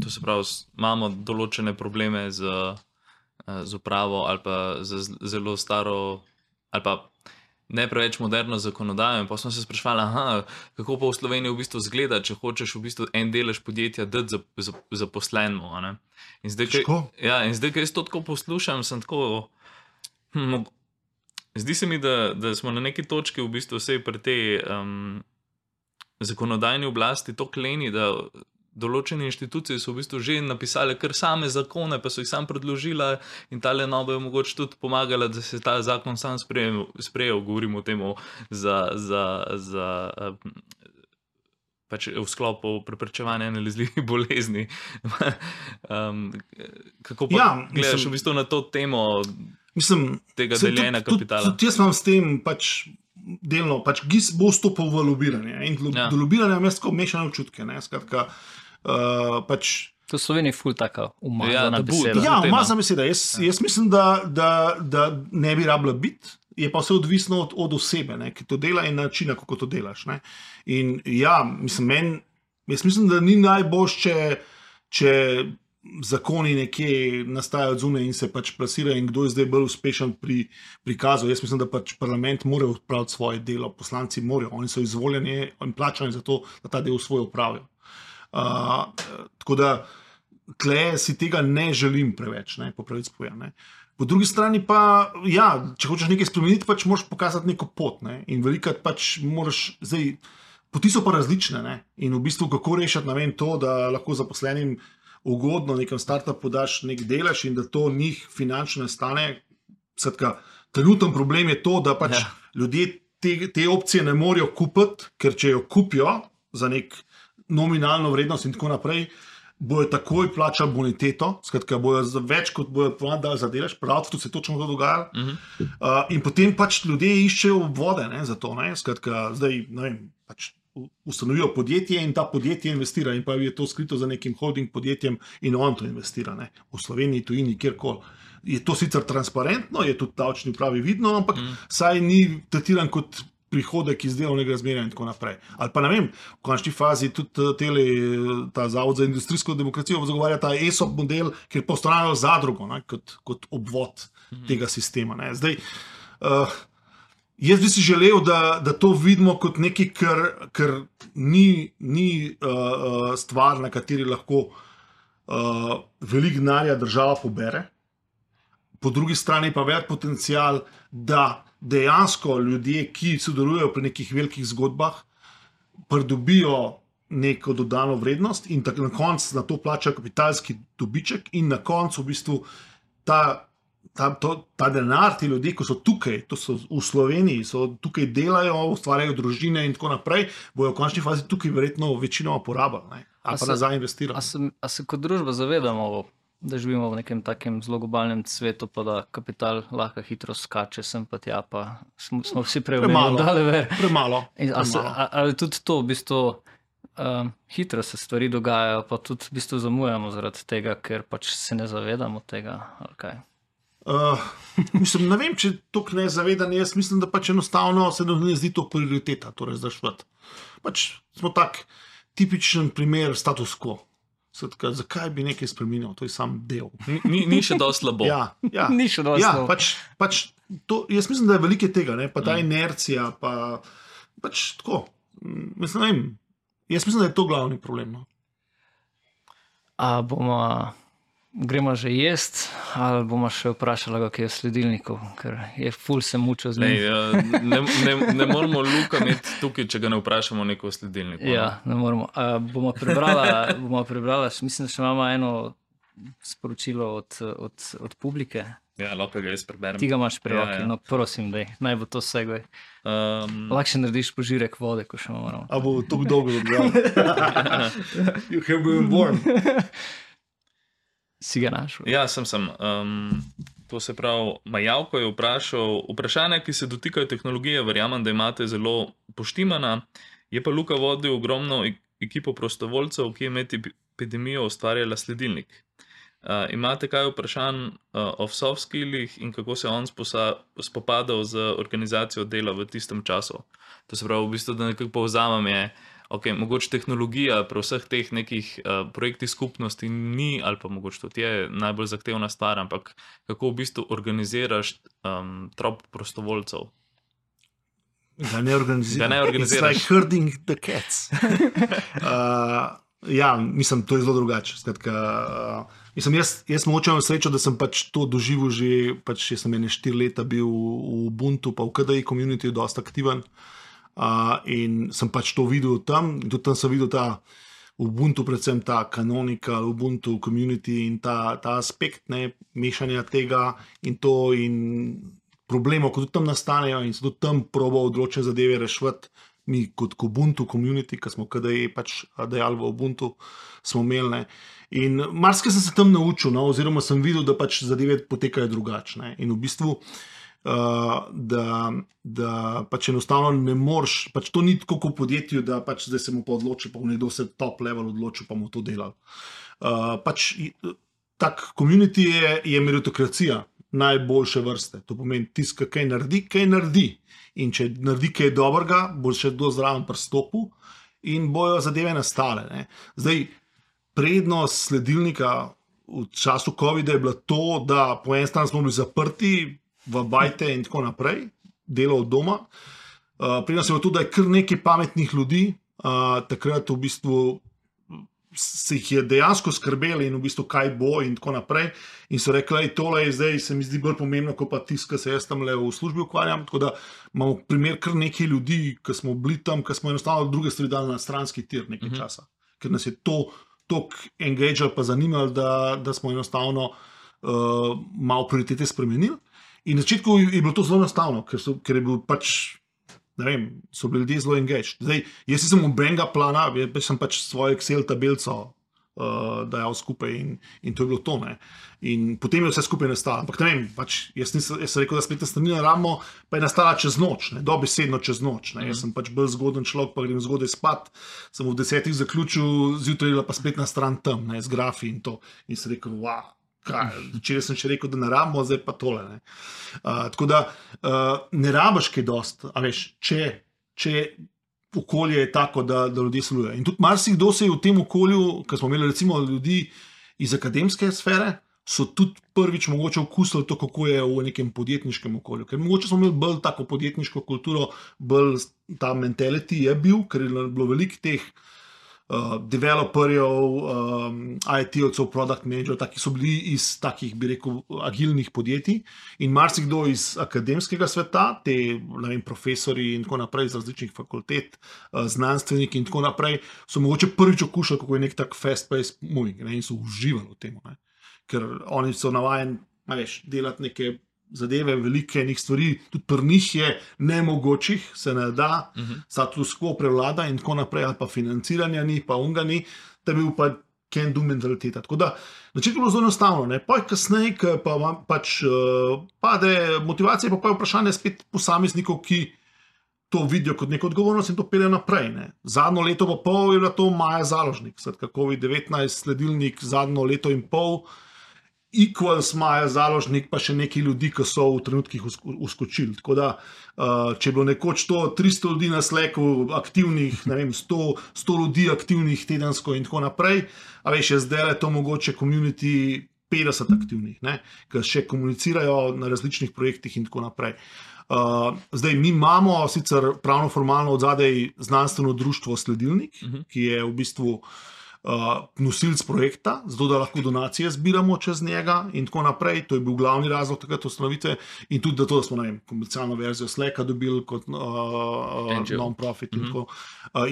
to se pravi, imamo določene probleme z upravo ali pa z zelo staro ali pa ne preveč moderno zakonodajo, in pa smo se sprašvali, kako pa v Sloveniji v bistvu zgleda, če hočeš v bistvu en delež podjetja dati zaposlenemu. In zdaj, ko jaz to tako poslušam, sem tako, zdi se mi, da smo na neki točki v bistvu vsej pri tej zakonodajni oblasti to kleni, da določene inštitucije so v bistvu že napisale kar same zakone, pa so jih sam predložila, in tale nova je mogoče tudi pomagala, da se ta zakon sam sprejel, govorimo o temu pač v sklopu preprečevanja nalezljivih bolezni. Kako pa gledaš v bistvu na to temo tega deljenja kapitala? Tudi jaz imam s tem pač delno, pač GIS bo vstopil v lobiranje, in do lobiranja imam tako mešane občutke, ne, skratka, pač... To v Sloveniji je ful taka umazana beseda. Ja, umazana beseda. Jaz mislim, da ne bi rabila biti, je pa vse odvisno od osebe, ne, ki to dela in načina, kako to delaš. Ne. In ja, jaz mislim, da ni najboljše, če zakoni nekje nastajajo odzune in se pač plasirajo, in kdo je zdaj bolj uspešen pri prikazu. Jaz mislim, da pač parlament mora opraviti svoje delo, poslanci morajo, oni so izvoljeni in plačani za to, da ta del svoj opravijo. Tako da tle si tega ne želim preveč, ne, po pravici povedano. Po drugi strani pa, ja, če hočeš nekaj spremeniti, pač moraš pokazati neko pot, ne, in velikrat pač moraš zdaj Poti so pa različne, ne? In v bistvu kako rešiti, ne vem, to, da lahko zaposlenim ugodno nekem startupu daš nek delež in da to njih finančno ne stane. Skratka, trenuten problem je to, da pač ljudje te opcije ne morejo kupiti, ker če jo kupijo za nek nominalno vrednost in tako naprej, bojo takoj plačali boniteto, skratka, bojo za več kot bojo dali za delež, prav, tudi se točno to dogaja. In potem pač ljudje iščejo obvode, ne, za to, ne, skratka, zdaj, ne vem, pač ustanovijo podjetje in ta podjetje investira in pa je to skrito za nekim holding podjetjem in on to investira, ne, v Sloveniji, tujini, kjerkoli. Je to sicer transparentno, je tudi davčni upravi vidno, ampak saj ni tretiran kot prihodek iz delovnega razmerja in tako naprej. Ali pa ne vem, v končni fazi tudi ta Zavod za industrijsko demokracijo zagovarja ta ESOP model, kjer postavljajo zadrugo, ne, kot obvod tega sistema. Ne. Zdaj, jaz bi si želel, da to vidimo kot nekaj, kar ni stvar, na kateri lahko veliko denarja država pobere. Po drugi strani pa velik potencial, da dejansko ljudje, ki sodelujejo pri nekih velikih zgodbah, pridobijo neko dodano vrednost in na koncu na to plačajo kapitalski dobiček in na koncu v bistvu ta denar, ti ljudje, ko so tukaj, to so v Sloveniji, so tukaj delajo, ustvarjajo družine in tako naprej, bojo v končni fazi tukaj verjetno večinoma porabili, ne? Ali pa nazaj investirali. A se kot družba zavedamo, da živimo v nekem takem zelo globalnem svetu, pa da kapital lahko hitro skače sem pa tja, pa smo vsi preumeli. Premalo. Ali tudi to, v bistvu, hitro se stvari dogajajo, pa tudi v bistvu zamujamo zaradi tega, ker pač se ne zavedamo tega, ali kaj? Mislim, ne vem, če to ne zavedam, jaz mislim, da pač enostavno se ne zdi to prioriteta, torej zdaj švet. Pač smo tak tipičen primer status quo. Skratka, zakaj bi nekaj spremenil? To je sam del. Ni še dosti slabo. Ja. Ni še dosti slabo. Pač to, jaz mislim, da je veliko tega, ne? Pa ta inercija, pa pač tako. Mislim, ne vem. Jaz mislim, da je to glavni problem. No? A gremo že jest, ali bomo še vprašali, kaj je v sledilniku, ker je ful se mučil z njim. Ne moramo Luka imeti tukaj, če ga ne vprašamo neko v sledilniku. Ja, ne moramo. Bomo prebrala, mislim, da še imamo eno sporočilo od publike. Ja, lahko ga jaz preberem. Ti ga imaš pri roki, no prosim, daj, naj bo to segway. Lahko še narediš požirek vode, ko še moramo. A bo to dolgo odgledal. You have been born. Si ga našel? Ja, sem. To se pravi, Majavko je vprašal, vprašanja, ki se dotikajo tehnologije, verjamem, da imate zelo poštimana, je pa Luka vodil ogromno ekipo prostovoljcev, ki je med epidemijo ustvarjala sledilnik. Imate kaj vprašanj o soft skillih in kako se on spopadal z organizacijo dela v tistem času? To se pravi, v bistvu, da nekako povzamem je, okay, mogoče tehnologija pri vseh teh nekih projektih skupnosti ni, ali pa mogoče tudi je najbolj zahtevna stvar, ampak kako v bistvu organiziraš trop prostovoljcev? Da ne organiziraš. It's like herding the cats. Ja, mislim, to je zelo drugače. Skratka, mislim, jaz močem srečo, da sem pač to doživel že, pač jaz sem 4 leta bil v Ubuntu, pa v KDI community dosta aktiven. In sem pač to videl tam, in tudi tam sem videl ta Ubuntu, predvsem ta canonical Ubuntu community in ta aspekt, ne, mešanja tega in to in problemov, ko tudi tam nastanejo in se tudi tam proba odločene zadeve reševati. Mi kot Ubuntu community, ki smo KDE pač dejali v Ubuntu, smo imeli. Ne. In marsikaj sem se tam naučil, no, oziroma sem videl, da pač zadeve potekajo drugačne. In v bistvu da pač enostavno ne moreš, pač to ni tako kot v podjetju, da pač zdaj se mu pa odloči, pa nekdo se top level odloči, pa mu to delal. Pač tak community je meritokracija najboljše vrste. To pomeni, tiska kaj naredi. In če naredi kaj dobrega, bo še do zraven pristopil in bojo zadeve nastale. Ne. Zdaj, prednost sledilnika v času COVID-a je bila to, da po eni strani smo bili zaprti v bajte in tako naprej, delo od doma. Pri nas je bilo tudi, da je kar nekaj pametnih ljudi, takrat v bistvu se jih je dejansko skrbeli in v bistvu kaj bo in tako naprej. In so rekli, tole je zdaj, se mi zdi bolj pomembno, kot pa tisto, kar se jaz tam le v službi ukvarjam. Tako da imamo primer kar nekaj ljudi, ki smo bili tam, ki smo enostavno druge stvari dali na stranski tir nekaj časa. Ker nas je to toliko engagalo pa zanimalo, da smo enostavno malo prioritete spremenili. In na začetku je bilo to zelo enostavno, ker je bil pač, ne vem, so bili ljudje zelo engaged. Zdaj, jaz nisem nobenega plana, jaz sem pač svojo Excel tabelco dajal skupaj in to je bilo to. Ne. In potem je vse skupaj nastalo. Ampak ne vem, pač jaz sem rekel, da spletna stran ne rabimo, pa je nastala čez noč, dobesedno čez noč. Ne. Jaz sem pač bolj zgoden človek, pa grem zgodaj spat, sem v 10 zaključil, zjutraj je pa spletna stran tam, ne, z grafi in to. In sem rekel, wow. Včeraj sem še rekel, da ne rabimo, zdaj pa tole. Ne. Tako da ne rabiš kaj dost, a veš, če okolje je tako, da ljudje sodelujejo. In tudi marsikdo se je v tem okolju, ker smo imeli recimo ljudi iz akademske sfere, so tudi prvič mogoče okusili to, kako je v nekem podjetniškem okolju. Ker mogoče smo imeli bolj tako podjetniško kulturo, bolj ta mentality je bil, ker je bilo veliko teh developerjev, IT-ovcev, product managerjev, taki so bili iz takih, bi rekel, agilnih podjetij in marsikdo iz akademskega sveta, te, ne vem, profesori in tako naprej iz različnih fakultet, znanstveniki in tako naprej, so mogoče prvič okušali, kako je nek tak fast-paced moving, ne, in so uživali v tem, ne. Ker oni so navajeni, veš, delati neke zadeve, velike enih stvari, tudi pri njih je nemogočih, se ne da, status quo prevlada in tako naprej, ali pa financiranja ni, pa unga ni, da bi bil pa can do mentaliteta. Tako da, načet je bilo zelo enostavno, ne, pa kasneje, ko pa pač pade motivacija, pa je vprašanje spet posameznikov, ki to vidijo kot neko odgovornost in to peljejo naprej, ne. Zadnjo leto pa pol je bila to Maja Založnik, skratka COVID-19 sledilnik zadnjo leto in pol, Equals, Maja Založnik, pa še neki ljudi, ki so v trenutkih uskočili. Tako da, če je bilo nekoč to 300 ljudi na Slacku aktivnih, ne vem, 100 ljudi aktivnih tedensko in tako naprej, a veš, je zdaj to mogoče community 50 aktivnih, ne, ki še komunicirajo na različnih projektih in tako naprej. Zdaj, mi imamo sicer pravno formalno od zadaj znanstveno društvo Sledilnik, ki je v bistvu nosilc projekta, zato da lahko donacije zbiramo čez njega in tako naprej. To je bil glavni razlog takrat ustanovitve in tudi da smo, ne vem, komercialno verzijo Slacka dobili kot non-profit in tako.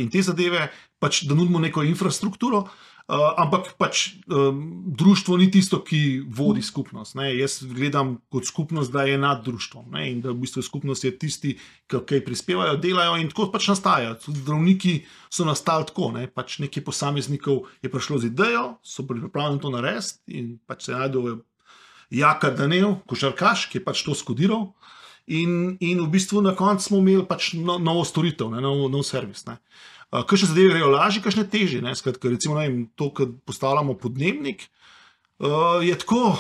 In te zadeve, pač da nudimo neko infrastrukturo, ampak pač društvo ni tisto, ki vodi skupnost. Ne. Jaz gledam kot skupnost, da je nad društvom, ne, in da v bistvu skupnost je tisti, ki kaj prispevajo, delajo in tako pač nastaja. Tudi zdravniki so nastali tako, ne. Pač nekaj posameznikov je prišlo z idejo, so pripravljeni to narediti in pač se najdel Jaka Danev, košarkaš, ki je pač to skodiral in v bistvu na koncu smo imeli pač novo storitev, ne, nov servis, ne. Kakšne zadeve grejo lažje, kakšne težje. Skratka, recimo, ne vem, to, ko postavljamo podnebnik, je tako,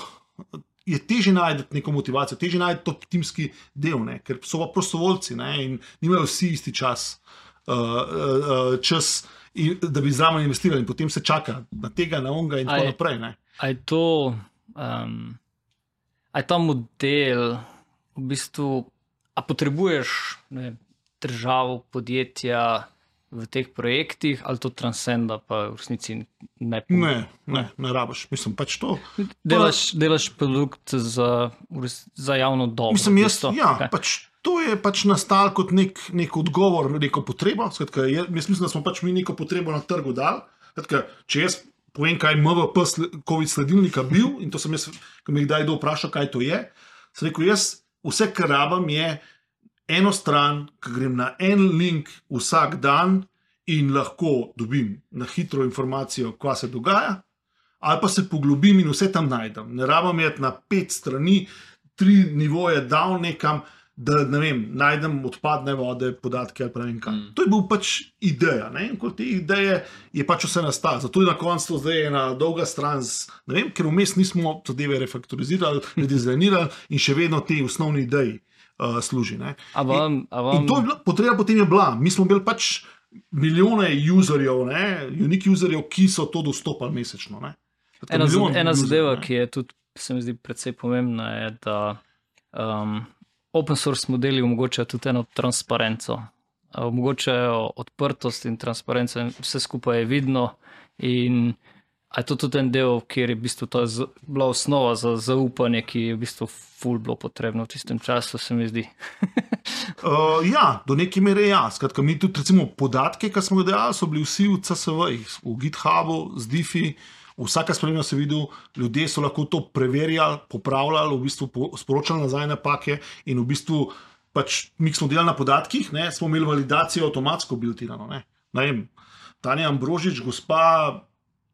je težje najti neko motivacijo, težje najti to timski del, ne, ker so pa prostovoljci, ne, in nimajo vsi isti čas, da bi zraven investirali in potem se čaka na tega, na onga in tako naprej. Ne. A je to, a je ta model v bistvu, a potrebuješ, ne vem, državo, podjetja v teh projektih, ali to transcenda pa v resnici ne pomeni? Ne rabiš. Mislim, pač to. Delaš produkt za javno dobro. Mislim, pač to je pač nastalo kot nek odgovor, neko potrebo. Skratka, jaz mislim, da smo pač mi neko potrebo na trgu dali. Skratka, če jaz povem, kaj je MVP COVID sledilnika bil, in to sem jaz, ko me kdaj kdo vprašal, kaj to je, sem rekel, jaz vse, kar rabim, je eno stran, ki grem na en link vsak dan in lahko dobim na hitro informacijo, kaj se dogaja, ali pa se poglobim in vse tam najdem. Ne rabim iti na 5 strani, 3 nivoje down nekam, da, ne vem, najdem odpadne vode, podatke ali pa ne vem kaj. To je bil pač ideja, ne, in kot te ideje je pač vse nastalo. Zato je na koncu zdaj ena dolga stran, ne vem, ker vmes nismo zadeve refaktorizirali, redizajnirali in še vedno te osnovne ideji služi. Ne. In to je bila, potreba potem je bila. Mi smo imeli pač milijone userjev, unique userjev, ki so to dostopali mesečno. Ne. Ena zadeva, ki je tudi, se mi zdi, precej pomembna, je, da open source modeli omogočajo tudi eno transparenco. omogočajo odprtost in transparenco in vse skupaj je vidno in a je to tudi en del, kjer je v bistvu to bila osnova za zaupanje, ki je v bistvu ful bilo potrebno v tistem času, se mi zdi. Ja, do neke mere ja. Skratka, mi tudi recimo podatke, ki smo ga dejali, so bili vsi v CSV-jih, v GitHubu, z Diffi, vsaka sprememba se videl, ljudje so lahko to preverjali, popravljali, v bistvu sporočali nazaj napake in v bistvu pač mi smo delali na podatkih, ne, smo imeli validacijo avtomatsko biltirano. Ne vem, Tanja Ambrožič, gospa,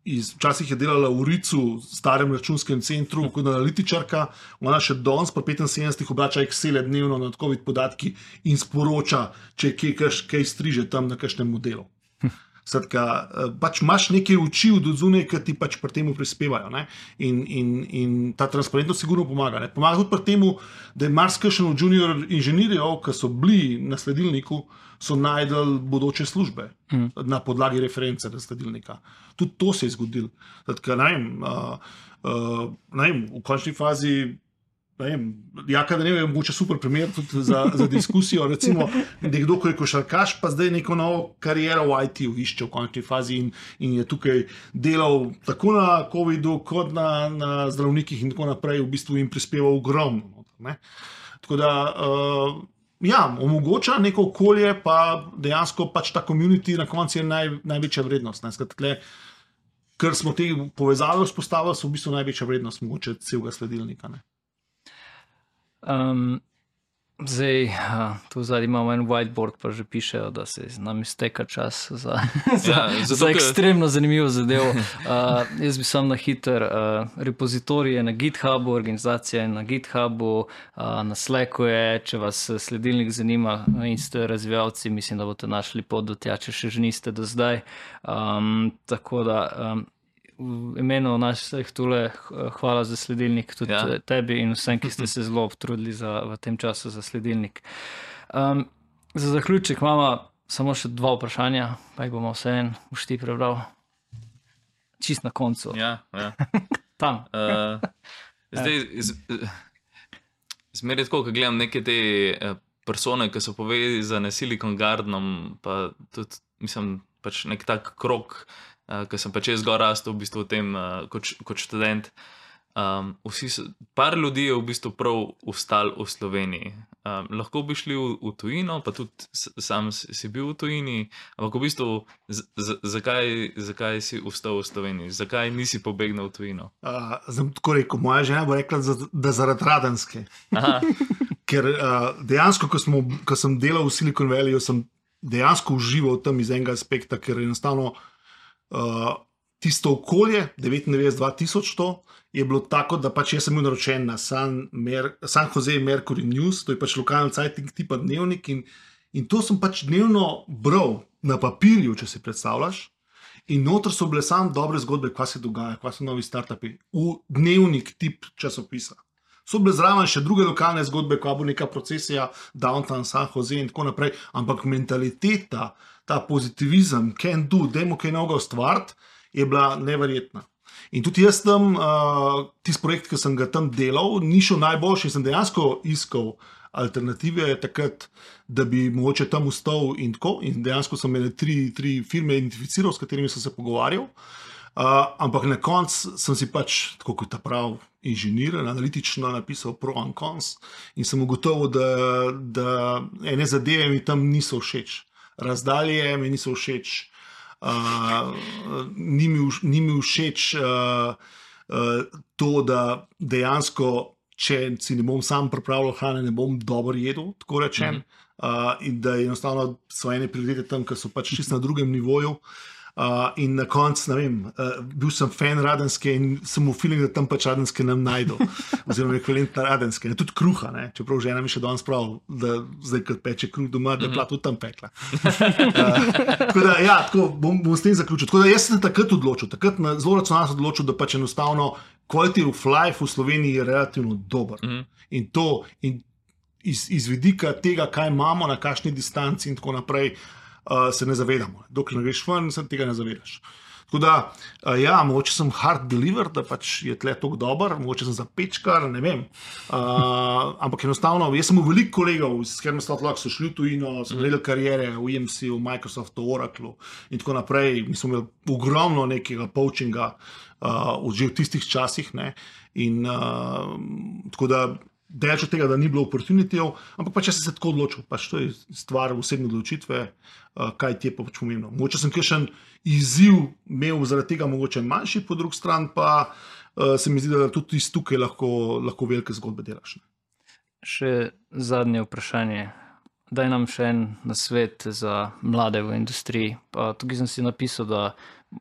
včasih je delala v Ricu, starem računskem centru, kot analitičarka, ona še danes po 75 obrača Excel dnevno na COVID podatki in sporoča, če je kaj striže tam na kakšnem modelu. Skratka, pač imaš neke oči od zunaj, ki ti pač pri temu prispevajo. Ne? In ta transparentnost sigurno pomaga. Ne? Pomaga tudi pri temu, da je marsikšen od junior inženirjev, ki so bili na sledilniku, so najdel bodoče službe na podlagi reference na sledilnika. Tudi to se je zgodilo. Skratka, ne vem, v končni fazi Jaka Danev je mogoče super primer tudi za diskusijo. Recimo, nekdo, ko je košarkaš, pa zdaj neko novo kariero v IT-u išče v končni fazi in je tukaj delal tako na COVID-u, kot na zdravnikih in tako naprej, v bistvu jim prispeval ogromno. Ne? Tako da, ja, omogoča neko okolje, pa dejansko pač ta community na koncu je največja vrednost. Ne? Skratka, ker smo te povezave vzpostavili, so v bistvu največja vrednost mogoče celega sledilnika. Ne? Zdaj, tu zadnji imamo en whiteboard, pa že pišejo, da se nam izteka čas za ekstremno zanimivo zadevo. Jaz bi sam na hiter, repozitorij je na GitHubu, organizacija je na GitHubu, na Slacku je, če vas sledilnik zanima in ste razvijalci, mislim, da boste našli pot do tja, če še niste do zdaj. Tako da v imenu naših tule hvala za sledilnik, tudi tebi in vsem, ki ste se zelo obtrudili v tem času za sledilnik. Za zaključek imamo samo še 2 vprašanja, pa jih bomo vse en ti prebral. Čist na koncu. Ja. Tam. Zdaj, zmeraj tako, ko gledam neke te persone, ki so povezane s Silicon Gardenom, pa tudi, mislim, pač nek tak krog, ker sem pač jaz zgor rastel v bistvu v tem kot študent. Par ljudi je v bistvu prav ostal v Sloveniji. Lahko bi šli v tujino, pa tudi sam si bil v tujini, ampak v bistvu zakaj si ostal v Sloveniji? Zakaj nisi pobegnil v tujino? Zdaj tako rekel, moja žena bo rekla, da zaradi Radenske. Ker dejansko, ko sem delal v Silicon Valleyju, sem dejansko užival tam iz enega aspekta, ker enostavno tisto okolje, 99-2000 to, je bilo tako, da pač jaz sem bil naročen na San Jose Mercury News, to je pač lokalni cajtnik tipa dnevnik in to sem pač dnevno bral na papirju, če si predstavljaš, in noter so bile samo dobre zgodbe, kva se dogaja, kva so novi startupi, v dnevnik tip časopisa. So bile zraven še druge lokalne zgodbe, kva bo neka procesija, downtown San Jose in tako naprej, ampak mentaliteta, ta pozitivizem, can do, dajmo kaj novega ustvariti, je bila neverjetna. In tudi jaz tam, tisti projekt, ki sem ga tam delal, ni šel najboljši, sem dejansko iskal alternative takrat, da bi mogoče tam ustal in tako, in dejansko sem imel 3 firme identificiral, s katerimi sem se pogovarjal, ampak na koncu sem si pač, tako kot ta prav inženir, analitično napisal pro and cons in sem ugotovil, da ene zadeve mi tam niso všeč. Razdalje mi niso všeč, ni mi všeč to, da dejansko, če si ne bom sam pripravljal hrane, ne bom dobro jedel, tako rečem, in da enostavno so ene prioritete tam, ki so pač čisto na drugem nivoju. In na koncu, ne vem, bil sem fan Radenske in sem v feeling, da tam pač Radenske nam najdu, oziroma ekvivalentna Radenske, tudi kruha, ne? Čeprav žena mi še danes prav, da zdaj, ko peče kruh doma, da je bila tudi tam pekla. Tako da, ja, tako bom s tem zaključil. Tako da jaz sem takrat odločil, zelo racionalno odločil, da pač enostavno quality of life v Sloveniji je relativno dober. In to, iz vidika tega, kaj imamo, na kakšni distanci in tako naprej, se ne zavedamo. Dokler ne greš ven, se tega ne zavedaš. Tako da, ja, mogoče sem hard believer, da pač je tle tako dober, mogoče sem zapečkar, ne vem. Ampak enostavno, jaz sem veliko kolegov, s katerimi so šli v tujino, so gledali karijere v EMC, v Microsoftu, Oraclu in tako naprej. Mi smo imeli ogromno nekega poučinga že v tistih časih. Ne? In tako da, daleč od tega, da ni bilo opportunitijev, ampak pač jaz sem se tako odločil, pač to je stvar osebne odločitve, kaj ti je pa pač pomembno. Mogoče sem kakšen izziv imel zaradi tega mogoče manjši, po drugi strani pa se mi zdi, da tudi iz tukaj lahko velike zgodbe delaš. Ne? Še zadnje vprašanje. Daj nam še en nasvet za mlade v industriji. Pa tukaj sem si napisal, da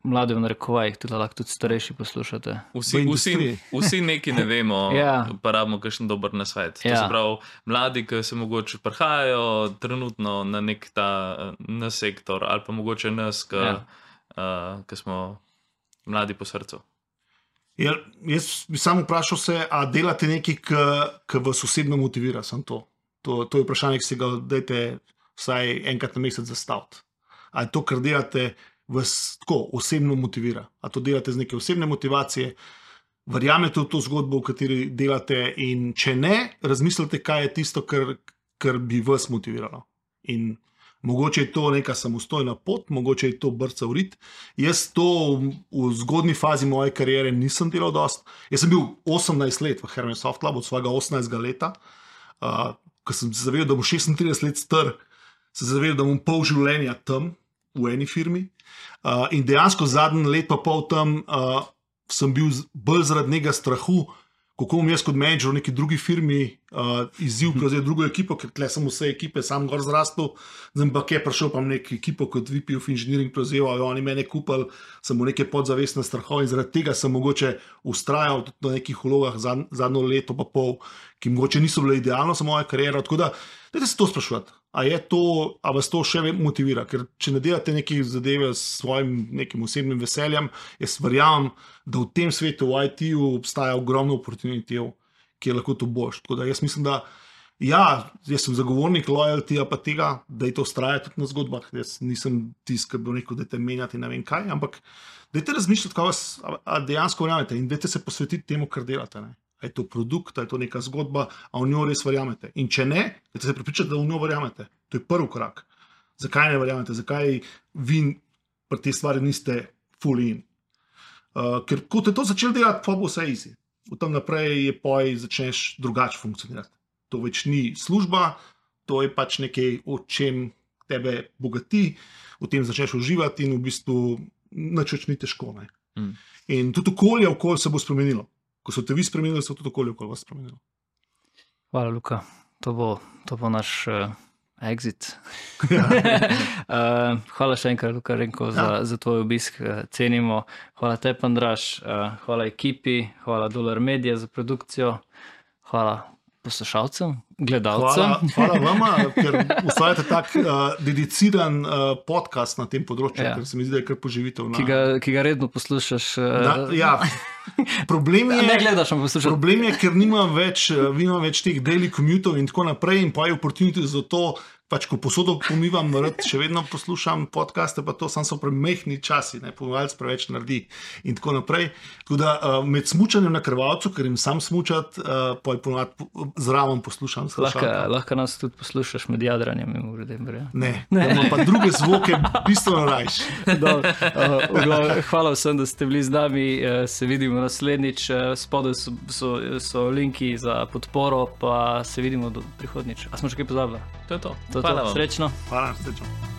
mlade v narekovajih tudi lahko tudi starejši poslušate. Vsi neki ne vemo, Ja. pa rabimo kakšen dober nasvet. To Ja. se pravi, mladi, ki se mogoče prihajajo trenutno na nek ta na sektor, ali pa mogoče nas, ki smo mladi po srcu. Ja, jaz bi samo vprašal se, a delate nekaj, ki vas osebno motivira, samo to. To je vprašanje, ki si ga dajte vsaj enkrat na mesec zastaviti. A je to, kar delate, vas tako osebno motivira? A to delate z neke osebne motivacije? Verjamete v to zgodbo, v kateri delate? In če ne, razmislite, kaj je tisto, kar bi vas motiviralo. In mogoče je to neka samostojna pot, mogoče je to brca v rit. Jaz to v zgodni fazi moje kariere nisem delal dost. Jaz sem bil 18 let v Hermes Soft Labu, od svojega 18. leta. Ko sem se zavedal, da bom 36 let star, se zavedal, da bom pol življenja tam v eni firmi. In dejansko zadnji let pa pol tam sem bil bolj zaradi njega strahu, kako bom jaz kot menedžer v neki drugi firmi izziv prevzel drugo ekipo, ker tle sem vse ekipe sam gor zrastel, zdaj pa je prišel pa neko ekipo kot VP of Engineering prevzel, oni mene kupili, sem v neke podzavestne strahove in zaradi tega sem mogoče ustrajal tudi na nekih vlogah zadnjo leto pa pol, ki mogoče niso bile idealno za mojo kariero, tako da dajte se to spraševati. A vas to še motivira? Ker če ne delate neke zadeve s svojim nekim osebnim veseljem, jaz verjamem, da v tem svetu, v IT-ju obstaja ogromno oportunitev, ki je lahko to boš. Tako da jaz mislim, da ja, jaz sem zagovornik loyalty, pa tega, da je to vztraja tudi na zgodbah. Jaz nisem tisti, ki bi rekel, da te menjate ne vem kaj, ampak dajte razmišljati, kaj vas dejansko verjamete in dajte se posvetiti temu, kar delate. Ne? A je to produkt, a je to neka zgodba, a v njo res verjamete. In če ne, dajte se prepričati, da v njo verjamete. To je prvi korak. Zakaj ne verjamete? Zakaj vi pri tej stvari niste full in? Ker ko te to začel delati, pa bo vse easy. Od tam naprej je poj začneš drugače funkcionirati. To več ni služba, to je pač nekaj, o čem tebe bogati, v tem začneš uživati in v bistvu nič več ni težko. Ne? In tudi okolje se bo spremenilo. Ko so te vi spremenili, so tudi okolje vas spremenilo. Hvala, Luka. To bo naš exit. Hvala še enkrat, Luka Renko, za tvoj obisk. Cenimo. Hvala tebi, Andraž. Hvala ekipi. Hvala Dolar Media za produkcijo. Hvala poslušalcem, gledalcem. Hvala vama, ker ustvarjate tak dediciran podcast na tem področju, ker se mi zdi, da je kar poživitev. Ki ga redno poslušaš. Problem je, ne gledaš, ampak poslušaš. Problem je, ker nimam več teh daily commutov in tako naprej in pa je opportunity za to, pač ko posodo pomivam, še vedno poslušam podcaste, pa to so premehni časi, pomivalc preveč naredi in tako naprej. Tako da med smučanjem na krvavcu, ker jim sam smučat, pa je ponovadi zraven poslušam. Lahko nas tudi poslušaš med jadranjem. Ne, imam pa druge zvoke bistveno rajši. Hvala vsem, da ste bili z nami, se vidimo naslednjič, spodaj so linki za podporo, pa se vidimo do prihodnjič. A smo še kaj pozabili? To je to. Hvala vam. Srečno. Hvala, srečno.